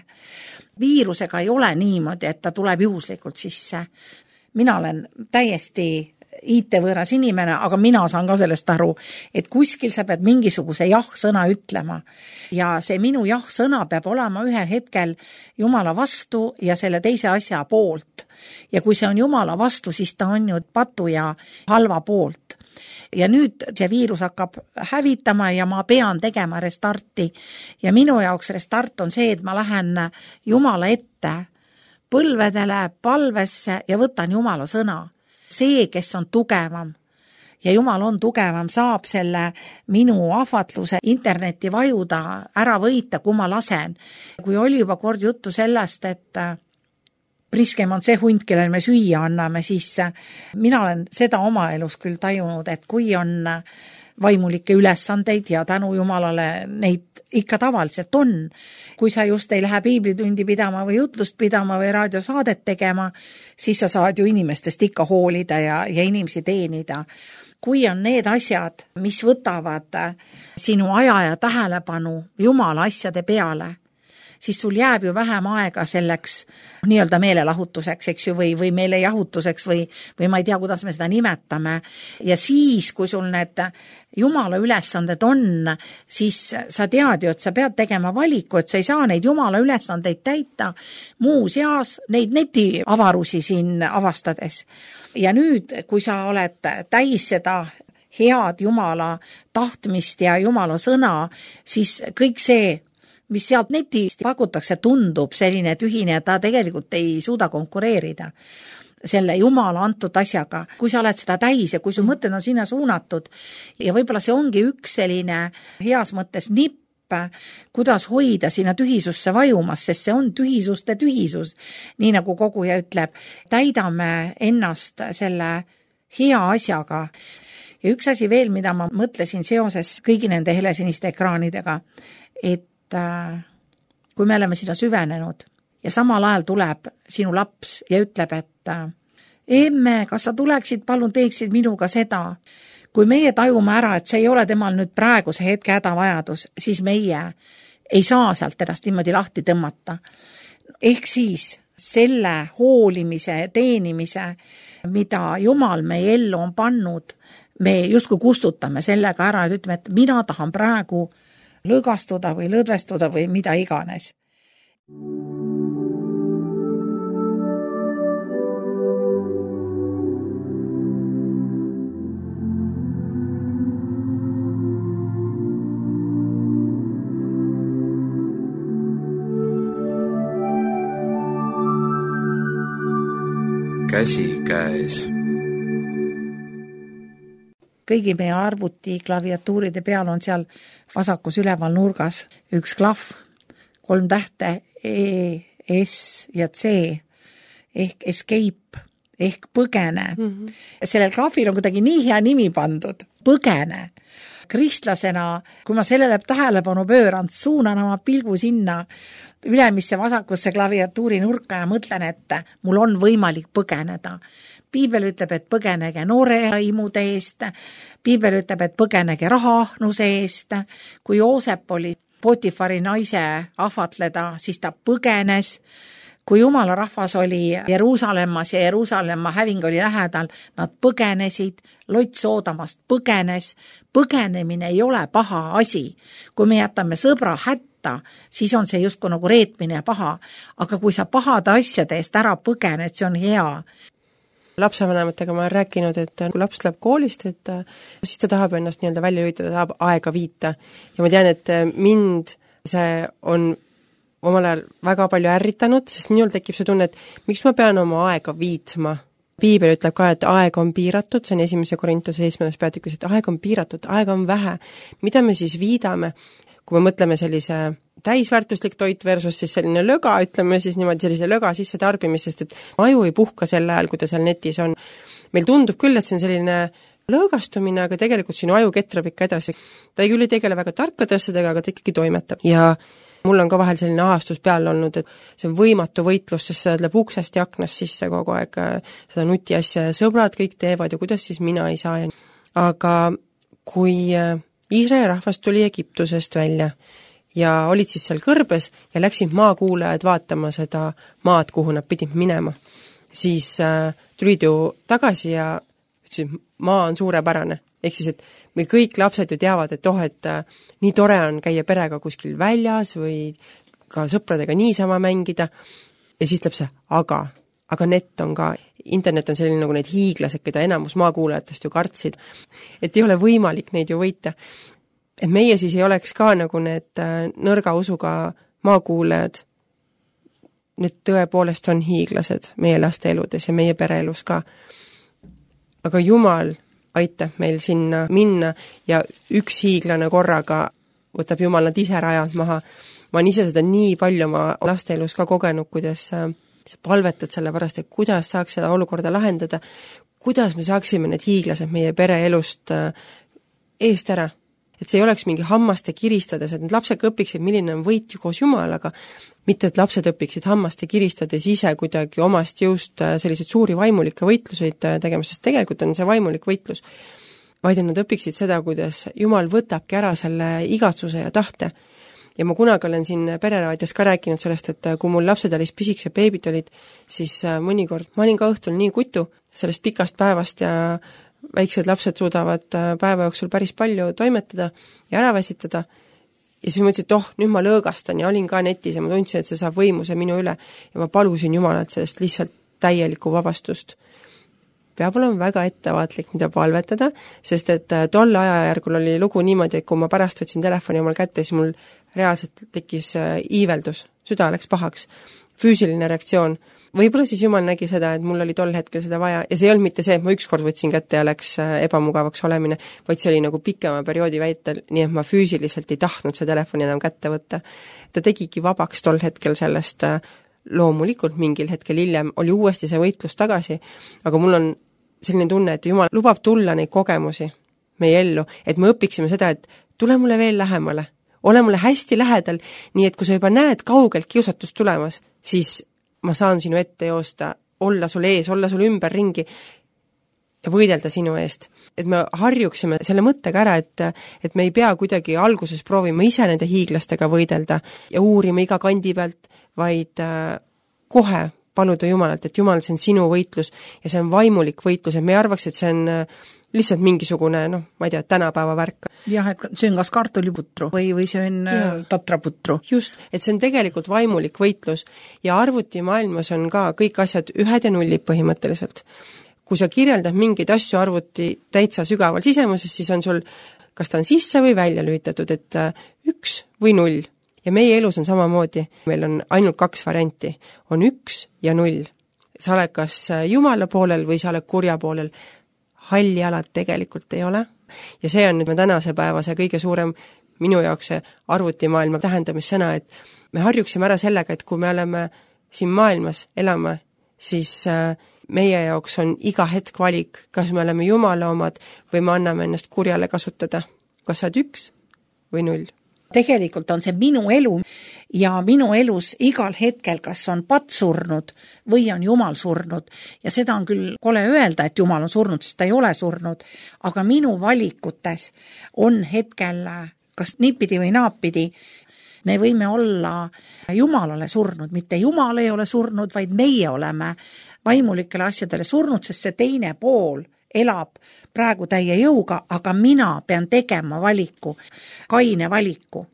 Viirusega ei ole niimoodi, et ta tuleb juhuslikult sisse. Mina olen täiesti IT-võõras inimene, aga mina saan ka sellest aru, et kuskil sa pead mingisuguse jah-sõna ütlema. Ja see minu jah-sõna peab olema ühel hetkel Jumala vastu ja selle teise asja poolt. Ja kui see on Jumala vastu, siis ta on ju patu ja halva poolt. Ja nüüd see viirus hakkab hävitama ja ma pean tegema restarti. Ja minu jaoks restart on see, et ma lähen Jumala ette põlvedele, palvesse ja võtan Jumala sõna. See, kes on tugevam ja Jumal on tugevam, saab selle minu ahvatluse interneti vajuda ära võita, kui ma lasen. Kui oli juba kord juttu sellest, et priskem on see hunt, kellel me süüa anname, siis mina olen seda oma elus küll tajunud, et kui on vaimulikke ülesandeid ja tänu Jumalale neid ikka tavaliselt on. Kui sa just ei lähe piiblitundi pidama või jutlust pidama või raadiosaadet tegema, siis sa saad ju inimestest ikka hoolida ja inimesi teenida. Kui on need asjad, mis võtavad sinu aja ja tähelepanu Jumala asjade peale, siis sul jääb ju vähem aega selleks nii-öelda meelelahutuseks, eks ju, või meelejahutuseks või ma ei tea, kuidas me seda nimetame. Ja siis, kui sul need Jumala ülesanded on, siis sa tead ju, et sa pead tegema valiku, et sa ei saa neid Jumala ülesandeid täita muuseas neid netiavarusi siin avastades. Ja nüüd, kui sa oled täis seda head Jumala tahtmist ja Jumala sõna, siis kõik see, mis sealt netist pakutakse, tundub selline tühine, ja ta tegelikult ei suuda konkureerida selle Jumala antud asjaga. Kui sa oled seda täis ja kui su mõtted on sinna suunatud ja võib-olla see ongi üks selline heas mõttes nipp, kuidas hoida sinna tühisusse vajumas, sest see on tühisuste tühisus. Nii nagu koguja ütleb, täidame ennast selle hea asjaga. Ja üks asi veel, mida ma mõtlesin seoses kõigi nende helesiniste ekraanidega, et kui me oleme sinna süvenenud ja samal ajal tuleb sinu laps ja ütleb, et emme, kas sa tuleksid, palun teeksid minuga seda. Kui meie tajume ära, et see ei ole temal nüüd praeguse hetke hädavajadus, siis meie ei saa sealt ennast niimoodi lahti tõmmata. Ehk siis selle hoolimise, teenimise, mida Jumal meie ellu on pannud, me justkui kustutame sellega ära, et ütleme, et mina tahan praegu lõgastuda või lõdvestuda või mida iganes. Käsi käes. Kõigi meie arvuti klaviatuuride peal on seal vasakus üleval nurgas üks klahv, 3 tähte E, S ja C ehk escape ehk põgene. Sellel klahvil on kuidagi nii hea nimi pandud, põgene. Kristlasena, kui ma sellele tähelepanu pööran, suunan oma pilgu sinna ülemisse vasakusse klaviatuuri nurka ja mõtlen, et mul on võimalik põgeneda. Piibel ütleb, et põgenege nooraimude eest. Piibel ütleb, et põgenege rahaahnuse eest. Kui Joosep oli Potifari naise ahvatleda, siis ta põgenes. Kui Jumala rahvas oli Jeruusalemmas ja Jeruusalemma häving oli lähedal, nad põgenesid, Lot Soodamast põgenes. Põgenemine ei ole paha asi. Kui me jätame sõbra hätta, siis on see justkui nagu reetmine ja paha. Aga kui sa pahade asjade eest ära põgened, see on hea. Lapsevanematega ma olen rääkinud, et kui laps läheb koolist, et siis ta tahab ennast nii-öelda välja lülitada, tahab aega viita. Ja ma tean, et mind see on omal ajal väga palju ärritanud, sest minul tekib see tunne, et miks ma pean oma aega viitma. Piibel ütleb ka, et aeg on piiratud, see on 1. Korintuse 7. peatükis, et aeg on piiratud, aeg on vähe. Mida me siis viidame, kui me mõtleme sellise täisväärtuslik toit versus siis selline löga, ütleme siis niimoodi sellise löga sisse tarbimisest, et aju ei puhka sel ajal, kui ta seal netis on. Meil tundub küll, et see on selline lõõgastumine, aga tegelikult sinu aju ketrab ikka edasi. Ta ei küll ei tegele väga tarkade asjadega, aga ta ikkagi toimetab. Ja mul on ka vahel selline ahastus peal olnud, et see on võimatu võitlus, sest see läheb uksest ja aknast sisse kogu aeg seda nuti asja ja sõbrad kõik teevad ja kuidas siis mina ei saa. Aga kui Iisraeli rahvas tuli Egiptusest välja ja olid siis seal kõrbes ja läksid maakuulajad vaatama seda maad, kuhu nad pidid minema, siis tulid ju tagasi ja ütlesin, maa on suurepärane. Ehk siis, et me kõik lapsed ju teavad, et et nii tore on käia perega kuskil väljas või ka sõpradega niisama mängida. Ja siis ütleb see, aga net on ka, internet on selline nagu need hiiglased, keda enamus maakuulajatest ju kartsid, et ei ole võimalik neid ju võita. Et meie siis ei oleks ka nagu need nõrga usuga maakuulajad, need tõepoolest on hiiglased meie laste eludes ja meie pereelus ka. Aga Jumal aitab meil sinna minna ja üks hiiglane korraga võtab Jumal nad ise rajalt maha. Ma olen ise seda nii palju oma laste elus ka kogenud, kuidas sa palvetad selle pärast, et kuidas saaks seda olukorda lahendada, kuidas me saaksime need hiiglased meie pere elust eest ära. Et see ei oleks mingi hammaste kiristades, et need lapsed õpiksid, milline on võit ju koos Jumalaga, mitte et lapsed õpiksid hammaste kiristades ise kuidagi omast jõust selliseid suuri vaimulikke võitluseid tegema, sest tegelikult on see vaimulik võitlus, vaid nad õpiksid seda, kuidas Jumal võtabki ära selle igatsuse ja tahte. Ja ma kunagi olen siin pereraadios ka rääkinud sellest, et kui mul lapsed olid pisikesed beebid olid, siis mõnikord ma olin ka õhtul nii kutu sellest pikast päevast ja väiksed lapsed suudavad päeva jooksul päris palju toimetada ja ära väsitada. Ja siis mõtlesin, et nüüd ma lõõgastan ja olin ka netis ja ma tundsin, et see saab võimuse minu üle ja ma palusin Jumalalt sellest lihtsalt täielikku vabastust. Peab olema väga ettevaatlik, mida palvetada, sest et tolle ajajärgul oli lugu niimoodi, et kui ma pärast võtsin telefoni omal kätte, siis mul reaalselt tekkis iiveldus, süda läks pahaks, füüsiline reaktsioon. Võib-olla siis Jumal nägi seda, et mul oli tol hetkel seda vaja ja see ei olnud mitte see, et ma ükskord võtsin kätte ja läks ebamugavaks olemine, vaid see oli nagu pikema perioodi väitel, nii et ma füüsiliselt ei tahtnud see telefoni enam kätte võtta. Ta tegigi vabaks tol hetkel sellest, loomulikult mingil hetkel hiljem oli uuesti see võitlus tagasi, aga mul on selline tunne, et Jumal lubab tulla neid kogemusi meie ellu, et me õpiksime seda, et tule mulle veel lähemale, ole mulle hästi lähedal, nii et kui sa juba näed kaugelt kiusatust tulemas, siis ma saan sinu ette joosta, olla sul ees, olla sul ümber ringi ja võidelda sinu eest. Et me harjuksime selle mõttega ära, et me ei pea kuidagi alguses proovima ise nende hiiglastega võidelda ja uurima iga kandi pealt, vaid kohe paluda Jumalalt, et Jumal, see on sinu võitlus ja see on vaimulik võitlus, et me ei arvaks, et see on lihtsalt mingisugune, ma ei tea, tänapäeva värk. Jah, et see on kas kartuliputru või see on tatraputru. Just, et see on tegelikult vaimulik võitlus ja arvutimaailmas on ka kõik asjad ühed ja nullid põhimõtteliselt. Kui sa kirjeldad mingeid asju arvuti täitsa sügaval sisemuses, siis on sul, kas ta on sisse või välja lülitatud, et 1 või 0. Ja meie elus on samamoodi, meil on ainult 2 varianti, on 1 ja 0. Sa oled kas Jumala poolel või sa oled kurja poolel. Halli alad tegelikult ei ole. Ja see on nüüd tänase päeva see kõige suurem minu jaoks see arvutimaailma tähendamissõna, et me harjuksime ära sellega, et kui me oleme siin maailmas elama, siis meie jaoks on iga hetk valik, kas me oleme Jumala omad või me anname ennast kurjale kasutada. Kas sa oled 1 või 0? Tegelikult on see minu elu ja minu elus igal hetkel, kas on patt surnud või on Jumal surnud. Ja seda on küll kole öelda, et Jumal on surnud, sest ta ei ole surnud, aga minu valikutes on hetkel kas niipidi või naapidi. Me võime olla Jumalale surnud, mitte Jumal ei ole surnud, vaid meie oleme vaimulikele asjadele surnud, sest see teine pool elab praegu täie jõuga, aga mina pean tegema valiku, kaine valiku.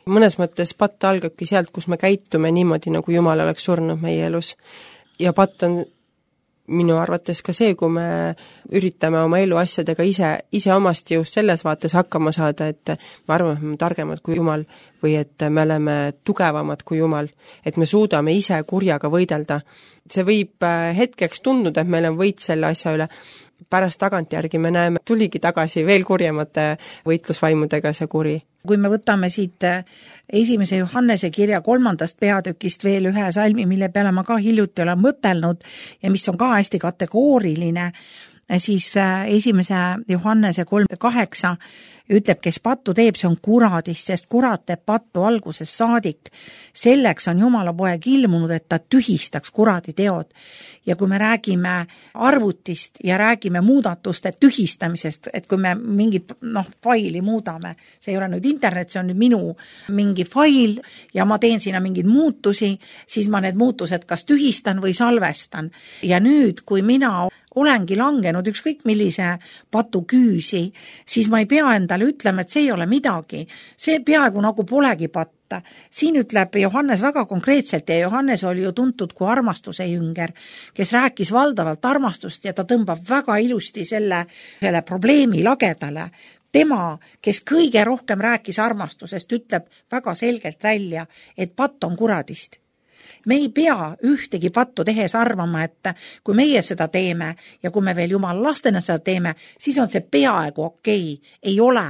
Mõnes mõttes patt algabki sealt, kus me käitume niimoodi, nagu Jumal oleks surnud meie elus. Ja patt on minu arvates ka see, kui me üritame oma elu asjadega ise omast jõust selles vaates hakkama saada, et me arvame, et me oleme targemad kui Jumal või et me oleme tugevamad kui Jumal, et me suudame ise kurjaga võidelda. See võib hetkeks tunduda, et meil on võit selle asja üle, pärast tagantjärgi me näeme, tuligi tagasi veel kurjemate võitlusvaimudega see kuri. Kui me võtame siit 1. Johannese kirja 3. peatükist veel ühe salmi, mille peale ma ka hiljuti olen mõtelnud ja mis on ka hästi kategooriline, siis 1. Johannese 3:8 ütleb, kes pattu teeb, see on kuradist, sest kurat teeb pattu alguses saadik. Selleks on Jumala poeg ilmunud, et ta tühistaks kuradi teod. Ja kui me räägime arvutist ja räägime muudatuste tühistamisest, et kui me mingit faili muudame, see ei ole nüüd internet, see on nüüd minu mingi fail ja ma teen sinna mingeid muutusi, siis ma need muutused kas tühistan või salvestan. Ja nüüd, kui mina olengi langenud ükskõik millise patu küüsi, siis ma ei pea endale ütlema, et see ei ole midagi. See peaaegu nagu polegi patta. Siin ütleb Johannes väga konkreetselt ja Johannes oli ju tuntud kui armastuse jünger, kes rääkis valdavalt armastust ja ta tõmbab väga ilusti selle probleemi lagedale. Tema, kes kõige rohkem rääkis armastusest, ütleb väga selgelt välja, et patt on kuradist. Me ei pea ühtegi pattu tehes arvama, et kui meie seda teeme ja kui me veel Jumala lastena seda teeme, siis on see peaaegu okei. Ei ole.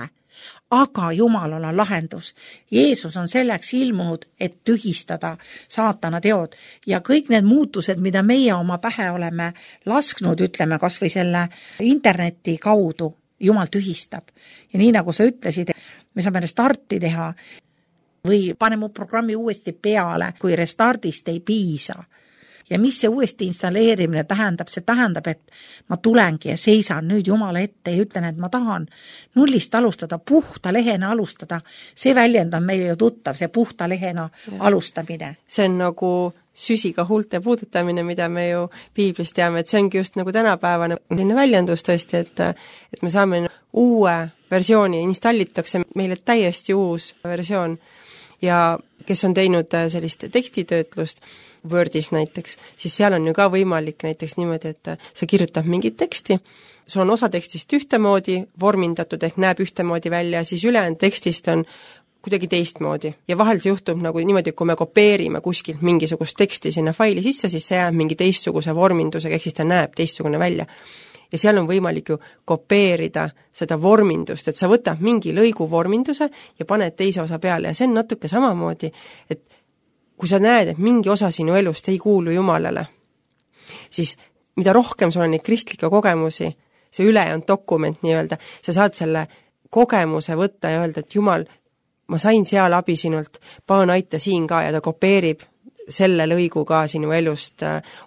Aga Jumalal on lahendus. Jeesus on selleks ilmunud, et tühistada saatana teod. Ja kõik need muutused, mida meie oma pähe oleme lasknud, ütleme kas või selle interneti kaudu, Jumal tühistab. Ja nii nagu sa ütlesid, me saame restarti teha või pane mu programmi uuesti peale, kui restardist ei piisa. Ja mis see uuesti installeerimine tähendab? See tähendab, et ma tulengi ja seisan nüüd Jumala ette ja ütlen, et ma tahan nullist alustada, puhta lehena alustada. See väljend on meile ju tuttav, see puhta lehena alustamine. See on nagu süsiga huulte puudutamine, mida me ju piiblist teame, et see ongi just nagu tänapäevane väljendus tõesti, et me saame uue versiooni, installitakse meile täiesti uus versioon. Ja kes on teinud sellist tekstitöötlust Wordis näiteks, siis seal on ju ka võimalik näiteks niimoodi, et sa kirjutab mingit teksti, sul on osa tekstist ühtemoodi vormindatud ehk näeb ühtemoodi välja, siis ülejäänud tekstist on kuidagi teistmoodi. Ja vahel see juhtub nagu niimoodi, kui me kopeerime kuskilt mingisugust teksti sinna faili sisse, siis see jääb mingi teistsuguse vormindusega, ehk siis ta näeb teistsugune välja. Ja seal on võimalik ju kopeerida seda vormindust, et sa võtab mingi lõigu vorminduse ja paned teise osa peale ja see on natuke samamoodi, et kui sa näed, et mingi osa sinu elust ei kuulu Jumalale, siis mida rohkem sul on neid kristlikke kogemusi, see ülejäänud dokument nii-öelda, sa saad selle kogemuse võtta ja öelda, et Jumal, ma sain seal abi sinult, palun aita siin ka ja ta kopeerib selle lõigu ka sinu elust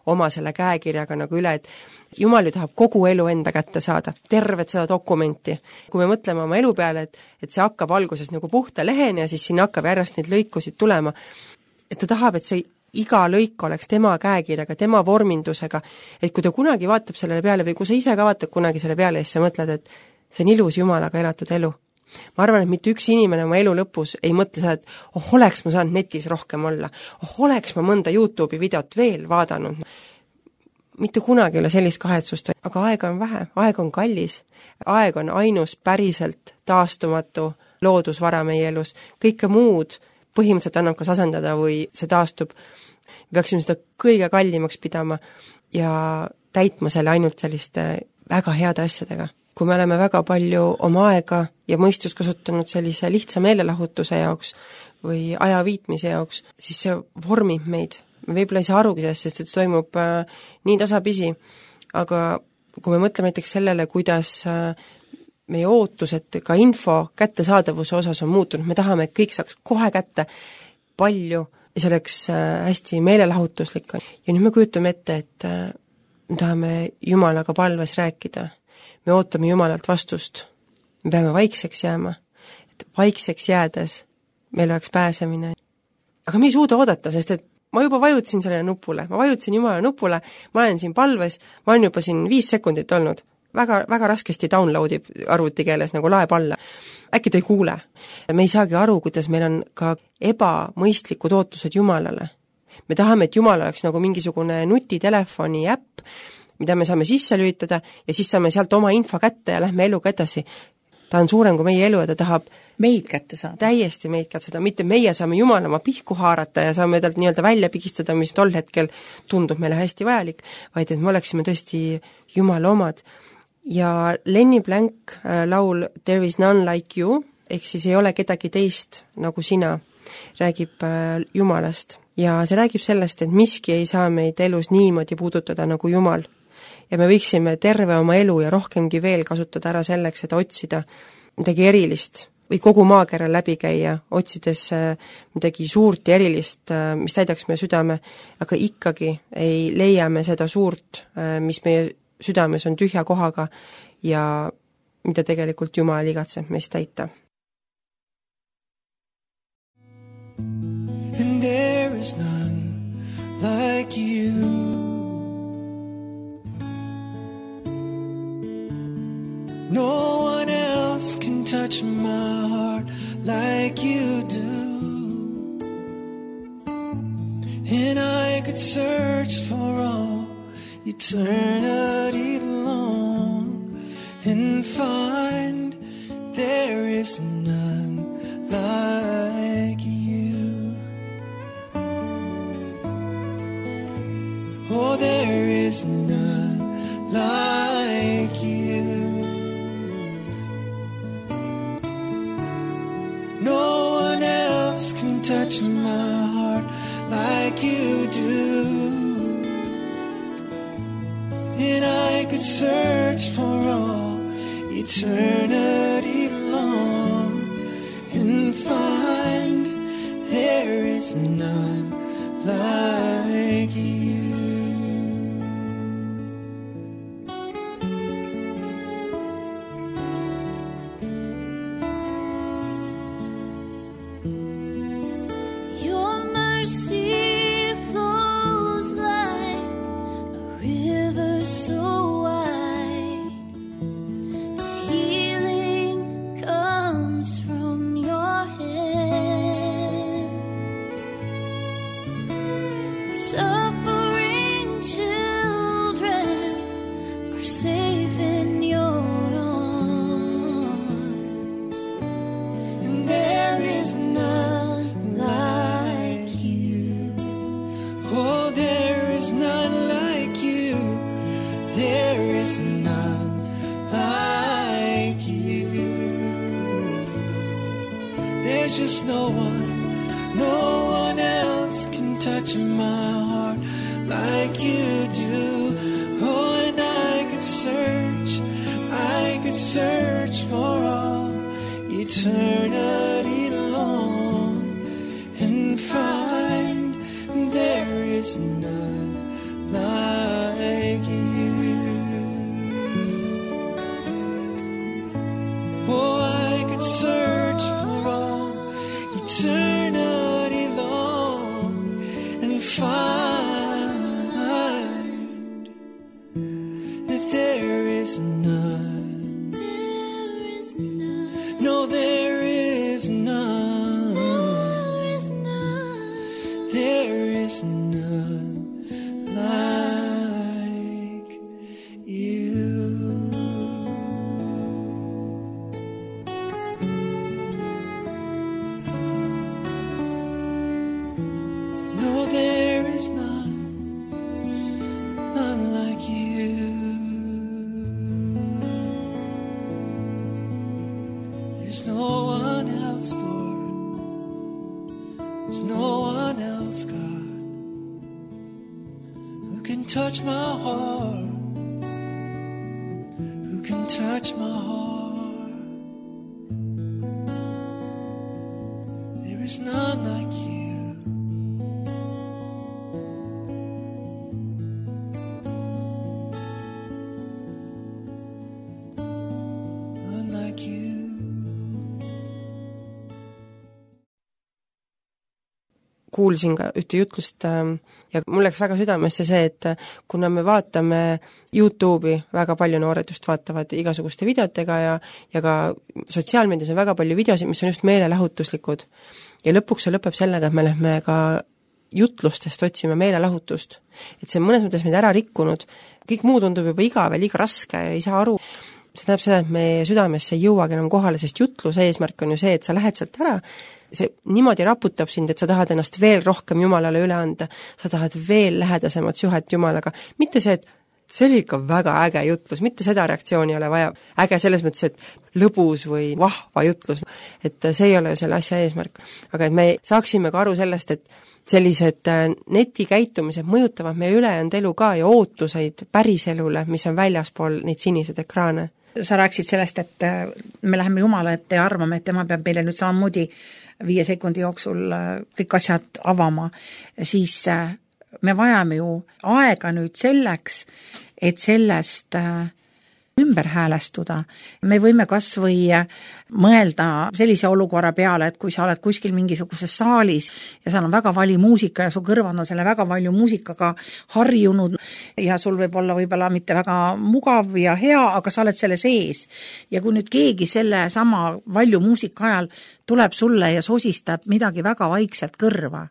oma selle käekirjaga nagu üle, et Jumal ju tahab kogu elu enda kätte saada, tervet seda dokumenti. Kui me mõtleme oma elu peale, et see hakkab alguses nagu puhta lehene ja siis sinna hakkab järjest neid lõikusid tulema, et ta tahab, et see iga lõik oleks tema käekirjaga, tema vormindusega, et kui ta kunagi vaatab sellele peale või kui sa ise ka vaatad kunagi selle peale ja siis sa mõtled, et see on ilus Jumalaga elatud elu. Ma arvan, et mitte üks inimene oma elu lõpus ei mõtle seda, et oleks ma saanud netis rohkem olla, oleks ma mõnda YouTube'i videot veel vaadanud. Mitte kunagi ei ole sellist kahetsust, aga aega on vähe, aeg on kallis, aeg on ainus päriselt taastumatu loodusvara meie elus. Kõike muud põhimõtteliselt annab kas asendada või see taastub. Me peaksime seda kõige kallimaks pidama ja täitma selle ainult selliste väga heade asjadega. Kui me oleme väga palju oma aega ja mõistus kasutanud sellise lihtsa meelelahutuse jaoks või aja viitmise jaoks, siis see vormib meid. Me võib-olla ei saa arugi sellest, sest et see toimub nii tasapisi, aga kui me mõtleme näiteks sellele, kuidas meie ootused ka info kättesaadavuse osas on muutunud, me tahame, et kõik saaks kohe kätte palju ja see oleks hästi meelelahutuslik. Ja nüüd me kujutame ette, et me tahame Jumalaga palves rääkida. Me ootame Jumalalt vastust. Me peame vaikseks jääma. Et vaikseks jäädes meil oleks pääsemine. Aga me ei suuda oodata, sest et ma juba vajutasin sellele nupule. Ma vajutasin Jumala nupule, ma olen siin palves, ma olen juba siin 5 sekundit olnud. Väga, väga raskesti downloadib arvutikeeles nagu laeb alla. Äkki ta ei kuule. Me ei saagi aru, kuidas meil on ka ebamõistlikud ootused Jumalale. Me tahame, et Jumal oleks nagu mingisugune nutitelefoni äpp, mida me saame sisse lülitada ja siis saame sealt oma info kätte ja lähme eluga edasi. Ta on suurem kui meie elu ja ta tahab meid kätte saada. Täiesti meid kätte saada, mitte meie saame Jumala oma pihku haarata ja saame talt nii-öelda välja pigistada, mis tol hetkel tundub meile hästi vajalik, vaid et me oleksime tõesti Jumala omad. Ja Lenny Blank laul There is none like you, ehk siis ei ole kedagi teist nagu sina, räägib Jumalast. Ja see räägib sellest, et miski ei saa meid elus niimoodi puudutada nagu Jumal. Ja me võiksime terve oma elu ja rohkemgi veel kasutada ära selleks, et otsida midagi erilist või kogu maakera läbi käia, otsides midagi suurt ja erilist, mis täidaks meie südame, aga ikkagi ei leia me seda suurt, mis meie südames on tühja kohaga ja mida tegelikult Jumal igatseb meist täita. And there is none like you. search for all eternity long and find there is none like you. Oh, there is none like you. No one else can touch my heart like you do. And I could search for all eternity long and find there is none like you. There's just no one else can touch my heart like you do. Oh, and I could search for all eternity long and find there is none like you. Oh, I could search for all eternity long and find that there is none. There is none. No, there is none. There is none. There is none like you. No, there is none like you. There's no one else, Lord. There's no one else, God, who can touch my heart, who can touch my heart. There is none like you. None like you. Kuulsin ka ühte jutlust ja mul läks väga südamesse see, et kuna me vaatame YouTube'i, väga palju noored just vaatavad igasuguste videotega ja ka sotsiaalmeedias on väga palju videosid, mis on just meelelahutuslikud. Ja lõpuks see lõpeb sellega, et me lähme ka jutlustest otsime meelelahutust. Et see on mõnes mõttes meid ära rikkunud, kõik muu tundub juba igav ja liiga raske ja ei saa aru. See tähendab seda, et meie südamesse ei jõuagi enam kohale, sest jutluse eesmärk on ju see, et sa lähed sealt ära, see niimoodi raputab sind, et sa tahad ennast veel rohkem Jumalale üle anda, sa tahad veel lähedasemat suhet Jumalaga, mitte see, et see oli ikka väga äge jutlus, mitte seda reaktsiooni ei ole vaja, äge selles mõttes, et lõbus või vahva jutlus, et see ei ole ju selle asja eesmärk, aga et me saaksime ka aru sellest, et sellised netikäitumised mõjutavad meie ülejäänud elu ka ja ootuseid päriselule, mis on väljaspool neid siniseid ekraane. Sa rääkisid sellest, et me läheme Jumala ette ja arvame, et tema peab meile nüüd samamoodi 5 sekundi jooksul kõik asjad avama, siis me vajame ju aega nüüd selleks, et sellest ümber häälestuda. Me võime kas või mõelda sellise olukorra peale, et kui sa oled kuskil mingisuguses saalis ja seal on väga vali muusika ja su kõrvad on selle väga palju muusikaga harjunud ja sul võib olla võib-olla mitte väga mugav ja hea, aga sa oled selle sees. Ja kui nüüd keegi selle sama valju muusika ajal tuleb sulle ja sosistab midagi väga vaikselt kõrva,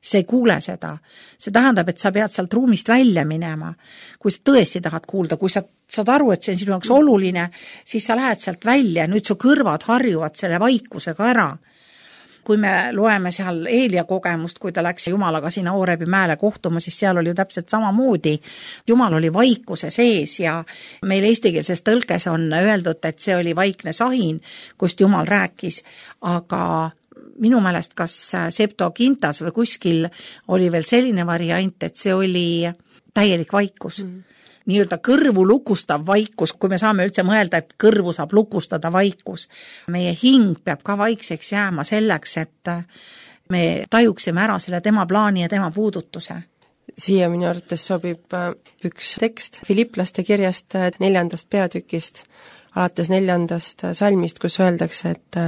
see ei kuule seda. See tähendab, et sa pead sealt ruumist välja minema. Kui sa tõesti tahad kuulda, kui sa saad aru, et see on sinu jaoks oluline, siis sa lähed sealt välja, nüüd su kõrvad harjuvad selle vaikusega ära. Kui me loeme seal Eelia kogemust, kui ta läks Jumalaga sinna Oorebi mäele kohtuma, siis seal oli ju täpselt samamoodi. Jumal oli vaikuse sees ja meil eestikeelses tõlkes on öeldud, et see oli vaikne sahin, kust Jumal rääkis, aga minu meelest kas Septuagintas või kuskil oli veel selline variant, et see oli täielik vaikus. Nii-öelda kõrvu lukustav vaikus, kui me saame üldse mõelda, et kõrvu saab lukustada vaikus. Meie hing peab ka vaikseks jääma selleks, et me tajuksime ära selle tema plaani ja tema puudutuse. Siia minu arvates sobib üks tekst Filipplaste kirjast 4. peatükist, alates 4. salmist, kus öeldakse, et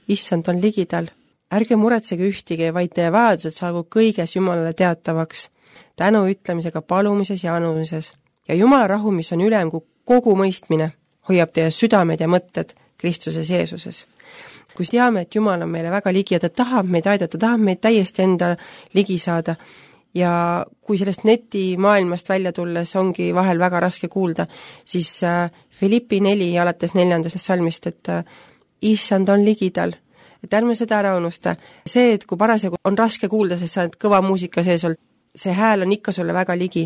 issand on ligidal. Ärge muretsege ühtigi, vaid teie vajadused saagu kõiges Jumalale teatavaks, tänu ütlemisega palumises ja anumises. Ja Jumala rahu, mis on ülem kui kogu mõistmine, hoiab teie südamed ja mõtted Kristuses Jeesuses. Kui teame, et Jumal on meile väga ligi ja ta tahab meid aidata, tahab meid täiesti enda ligi saada ja kui sellest netimaailmast välja tulles ongi vahel väga raske kuulda, siis Filippi 4 alates 4. salmist, et issand on ligidal. Et ärme seda ära unusta. See, et kui parasjagu on raske kuulda, sest sa oled kõva muusika sees olnud, see hääl on ikka sulle väga ligi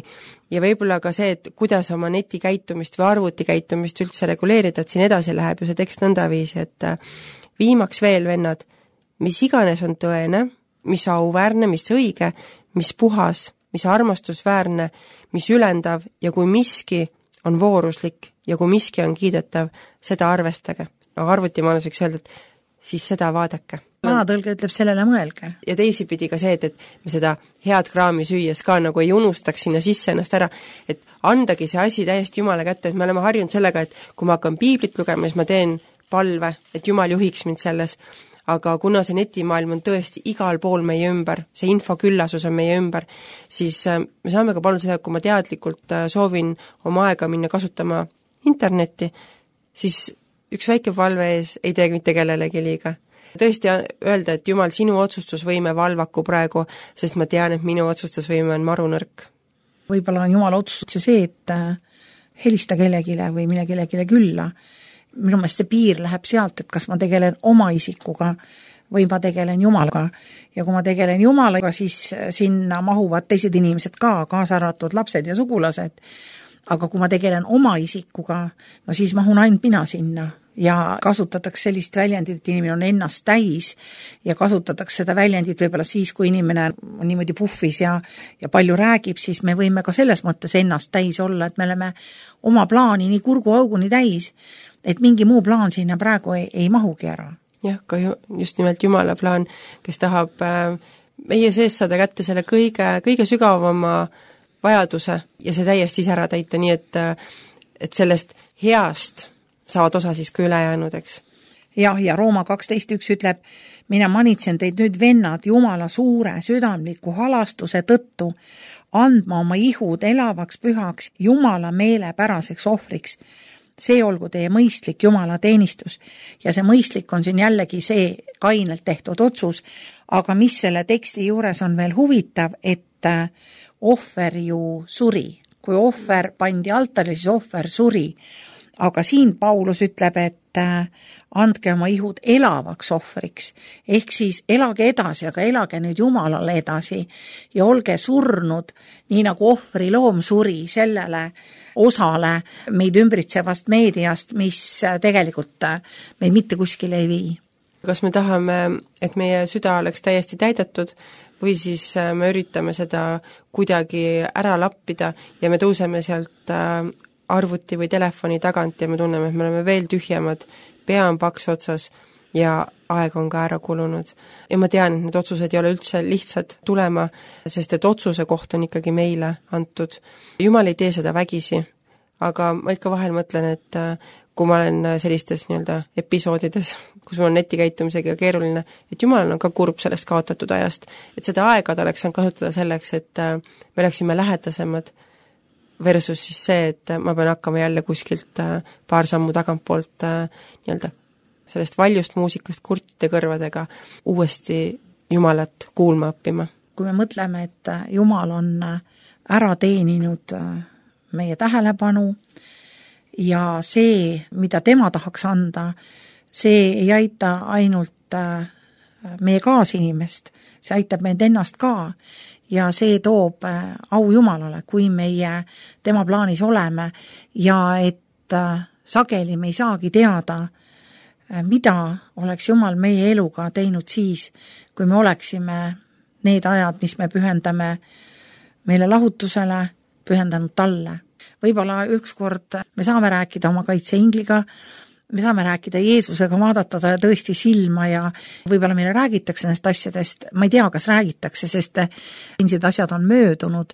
ja võib-olla ka see, et kuidas oma netikäitumist või arvutikäitumist üldse reguleerida, et siin edasi läheb ju see tekst nõndaviisi, et viimaks veel, vennad, mis iganes on tõene, mis auväärne, mis õige, mis puhas, mis armastusväärne, mis ülendav ja kui miski on vooruslik ja kui miski on kiidetav, seda arvestage. Aga arvutimaailmas võiks öelda, et siis seda vaadake. Vanatõlge ütleb sellele mõelge. Ja teisipidi ka see, et me seda head kraami süües ka nagu ei unustaks sinna sisse ennast ära, et andagi see asi täiesti Jumala kätte, et me oleme harjunud sellega, et kui ma hakkan piiblit lugema, siis ma teen palve, et Jumal juhiks mind selles, aga kuna see netimaailm on tõesti igal pool meie ümber, see infoküllasus on meie ümber, siis me saame ka paluda seda, et kui ma teadlikult soovin oma aega minna kasutama internetti, siis üks väike palve ees ei tee mitte kellelegi liiga. Tõesti öelda, et Jumal, sinu otsustusvõime valvaku praegu, sest ma tean, et minu otsustusvõime on marunõrk. Võib-olla on Jumala otsustus see, et helista kellegile või mine kellegile külla. Minu meelest see piir läheb sealt, et kas ma tegelen oma isikuga või ma tegelen Jumalaga. Ja kui ma tegelen Jumalaga, siis sinna mahuvad teised inimesed ka, kaasa arvatud lapsed ja sugulased. Aga kui ma tegelen oma isikuga, no siis mahun ainult mina sinna. Ja kasutatakse sellist väljendit, et inimene on ennast täis ja kasutatakse seda väljendit võib-olla siis, kui inimene on niimoodi puhvis ja palju räägib, siis me võime ka selles mõttes ennast täis olla, et me oleme oma plaani nii kurguauguni täis, et mingi muu plaan sinna praegu ei mahugi ära. Jah, ka just nimelt Jumala plaan, kes tahab meie sees saada kätte selle kõige sügavama vajaduse ja see täiesti ise ära täita, nii et sellest heast saavad osa siis ka ülejäänud, eks. Jah, ja Rooma 12.1 ütleb, mina manitsen teid nüüd vennad Jumala suure südamliku halastuse tõttu andma oma ihud elavaks pühaks Jumala meelepäraseks ohvriks. See olgu teie mõistlik Jumala teenistus ja see mõistlik on siin jällegi see kainelt tehtud otsus, aga mis selle teksti juures on veel huvitav, et ohver ju suri. Kui ohver pandi altarile, siis ohver suri. Aga siin Paulus ütleb, et andke oma ihud elavaks ohvriks, ehk siis elage edasi, aga elage nüüd Jumalale edasi ja olge surnud, nii nagu ohvri loom suri sellele osale meid ümbritsevast meediast, mis tegelikult meid mitte kuskile ei vii. Kas me tahame, et meie süda oleks täiesti täidetud või siis me üritame seda kuidagi ära lappida ja me tõuseme sealt arvuti või telefoni tagant ja me tunneme, et me oleme veel tühjemad, pea on paks otsas ja aeg on ka ära kulunud. Ja ma tean, et need otsused ei ole üldse lihtsad tulema, sest et otsuse koht on ikkagi meile antud. Jumal ei tee seda vägisi, aga ma ikka vahel mõtlen, et kui ma olen sellistes nii-öelda episoodides, kus mul on netikäitumisega keeruline, et Jumal on ka kurb sellest kaotatud ajast, et seda aega ta oleks saanud kasutada selleks, et me oleksime lähedasemad, versus siis see, et ma pean hakkama jälle kuskilt paar sammu tagantpoolt nii-öelda sellest valjust muusikast kurtide kõrvadega uuesti Jumalat kuulma õppima. kui me mõtleme, et Jumal on ära teeninud meie tähelepanu ja see, mida tema tahaks anda, see ei aita ainult meie kaasinimest, see aitab meid ennast ka ja see toob au Jumalale, kui meie tema plaanis oleme ja et sageli me ei saagi teada, mida oleks Jumal meie eluga teinud siis, kui me oleksime need ajad, mis me pühendame meile lahutusele, pühendanud talle. Võib-olla ükskord me saame rääkida oma kaitseingliga, me saame rääkida Jeesusega, vaadata ta tõesti silma ja võib-olla meile räägitakse nendest asjadest, ma ei tea, kas räägitakse, sest sellised asjad on möödunud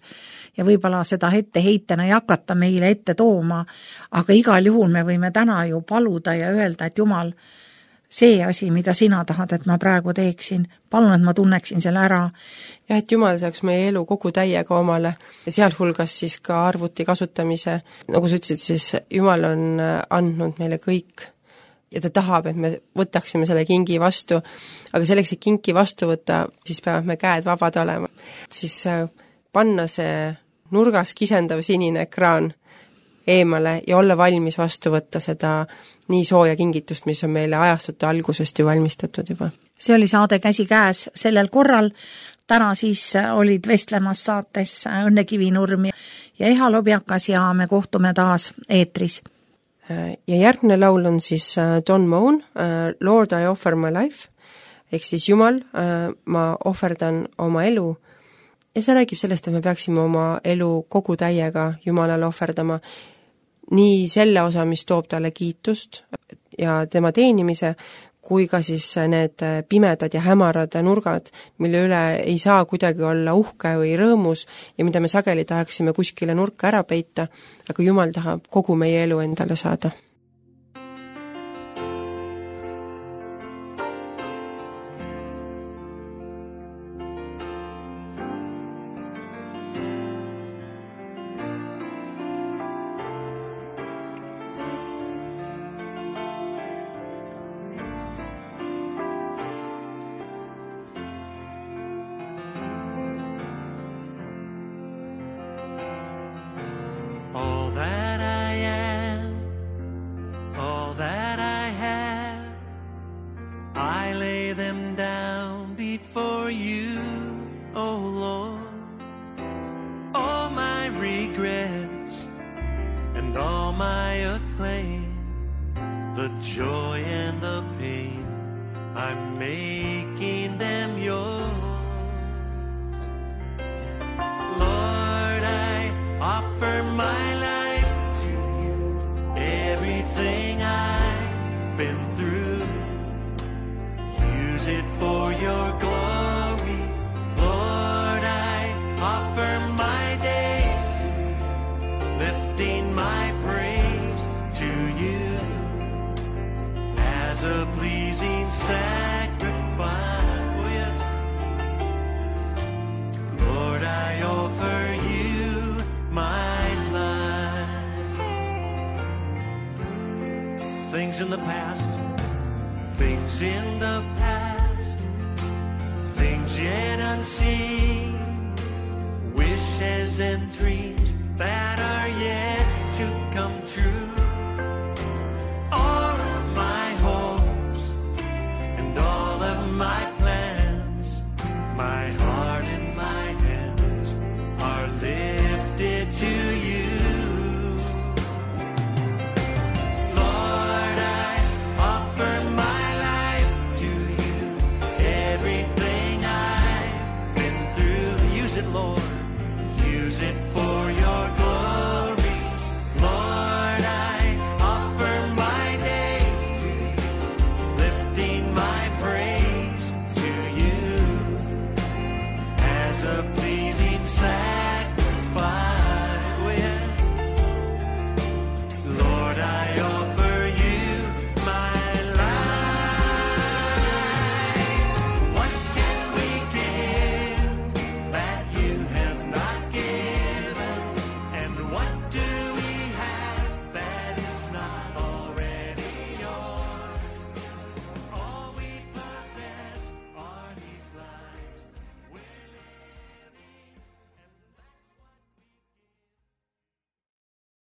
ja võib-olla seda etteheitena ei hakata meile ette tooma, aga igal juhul me võime täna ju paluda ja öelda, et Jumal, see asi, mida sina tahad, et ma praegu teeksin, palun, et ma tunneksin selle ära. Ja et Jumal saaks meie elu kogu täiega omale ja sealhulgas siis ka arvuti kasutamise. Nagu sa ütlesid, siis Jumal on andnud meile kõik ja ta tahab, et me võtaksime selle kingi vastu, aga selleks, et kinki vastu võtta, siis peavad me käed vabad olema. Siis panna see nurgas kisendav sinine ekraan eemale ja olla valmis vastu võtta seda nii sooja kingitust, mis on meile ajastute algusest ju valmistatud juba. See oli saade Käsi käes sellel korral. Täna siis olid vestlemas saates Õnne Kivinurm ja Eha Lobjakas ja me kohtume taas eetris. Ja järgmine laul on siis Don Moen, Lord I offer my life, ehk siis Jumal, ma ohverdan oma elu. Ja see räägib sellest, et me peaksime oma elu kogu täiega Jumalale ohverdama, nii selle osa, mis toob talle kiitust ja tema teenimise, kui ka siis need pimedad ja hämarad nurgad, mille üle ei saa kuidagi olla uhke või rõõmus ja mida me sageli tahaksime kuskile nurka ära peita, aga Jumal tahab kogu meie elu endale saada. All that I am, all that I have, I lay them down before you, oh Lord. All my regrets and all my acclaim, the joy and the pain, I'm making them yours. Lord, I offer my life to you, everything I've been through. Use it for your glory. Lord, I offer my days, lifting my praise to you as a pleasing sacrifice. Oh, yes. Lord, I offer you my life. Things in the past, things in the past, things yet unseen, wishes and dreams that are yet to come true.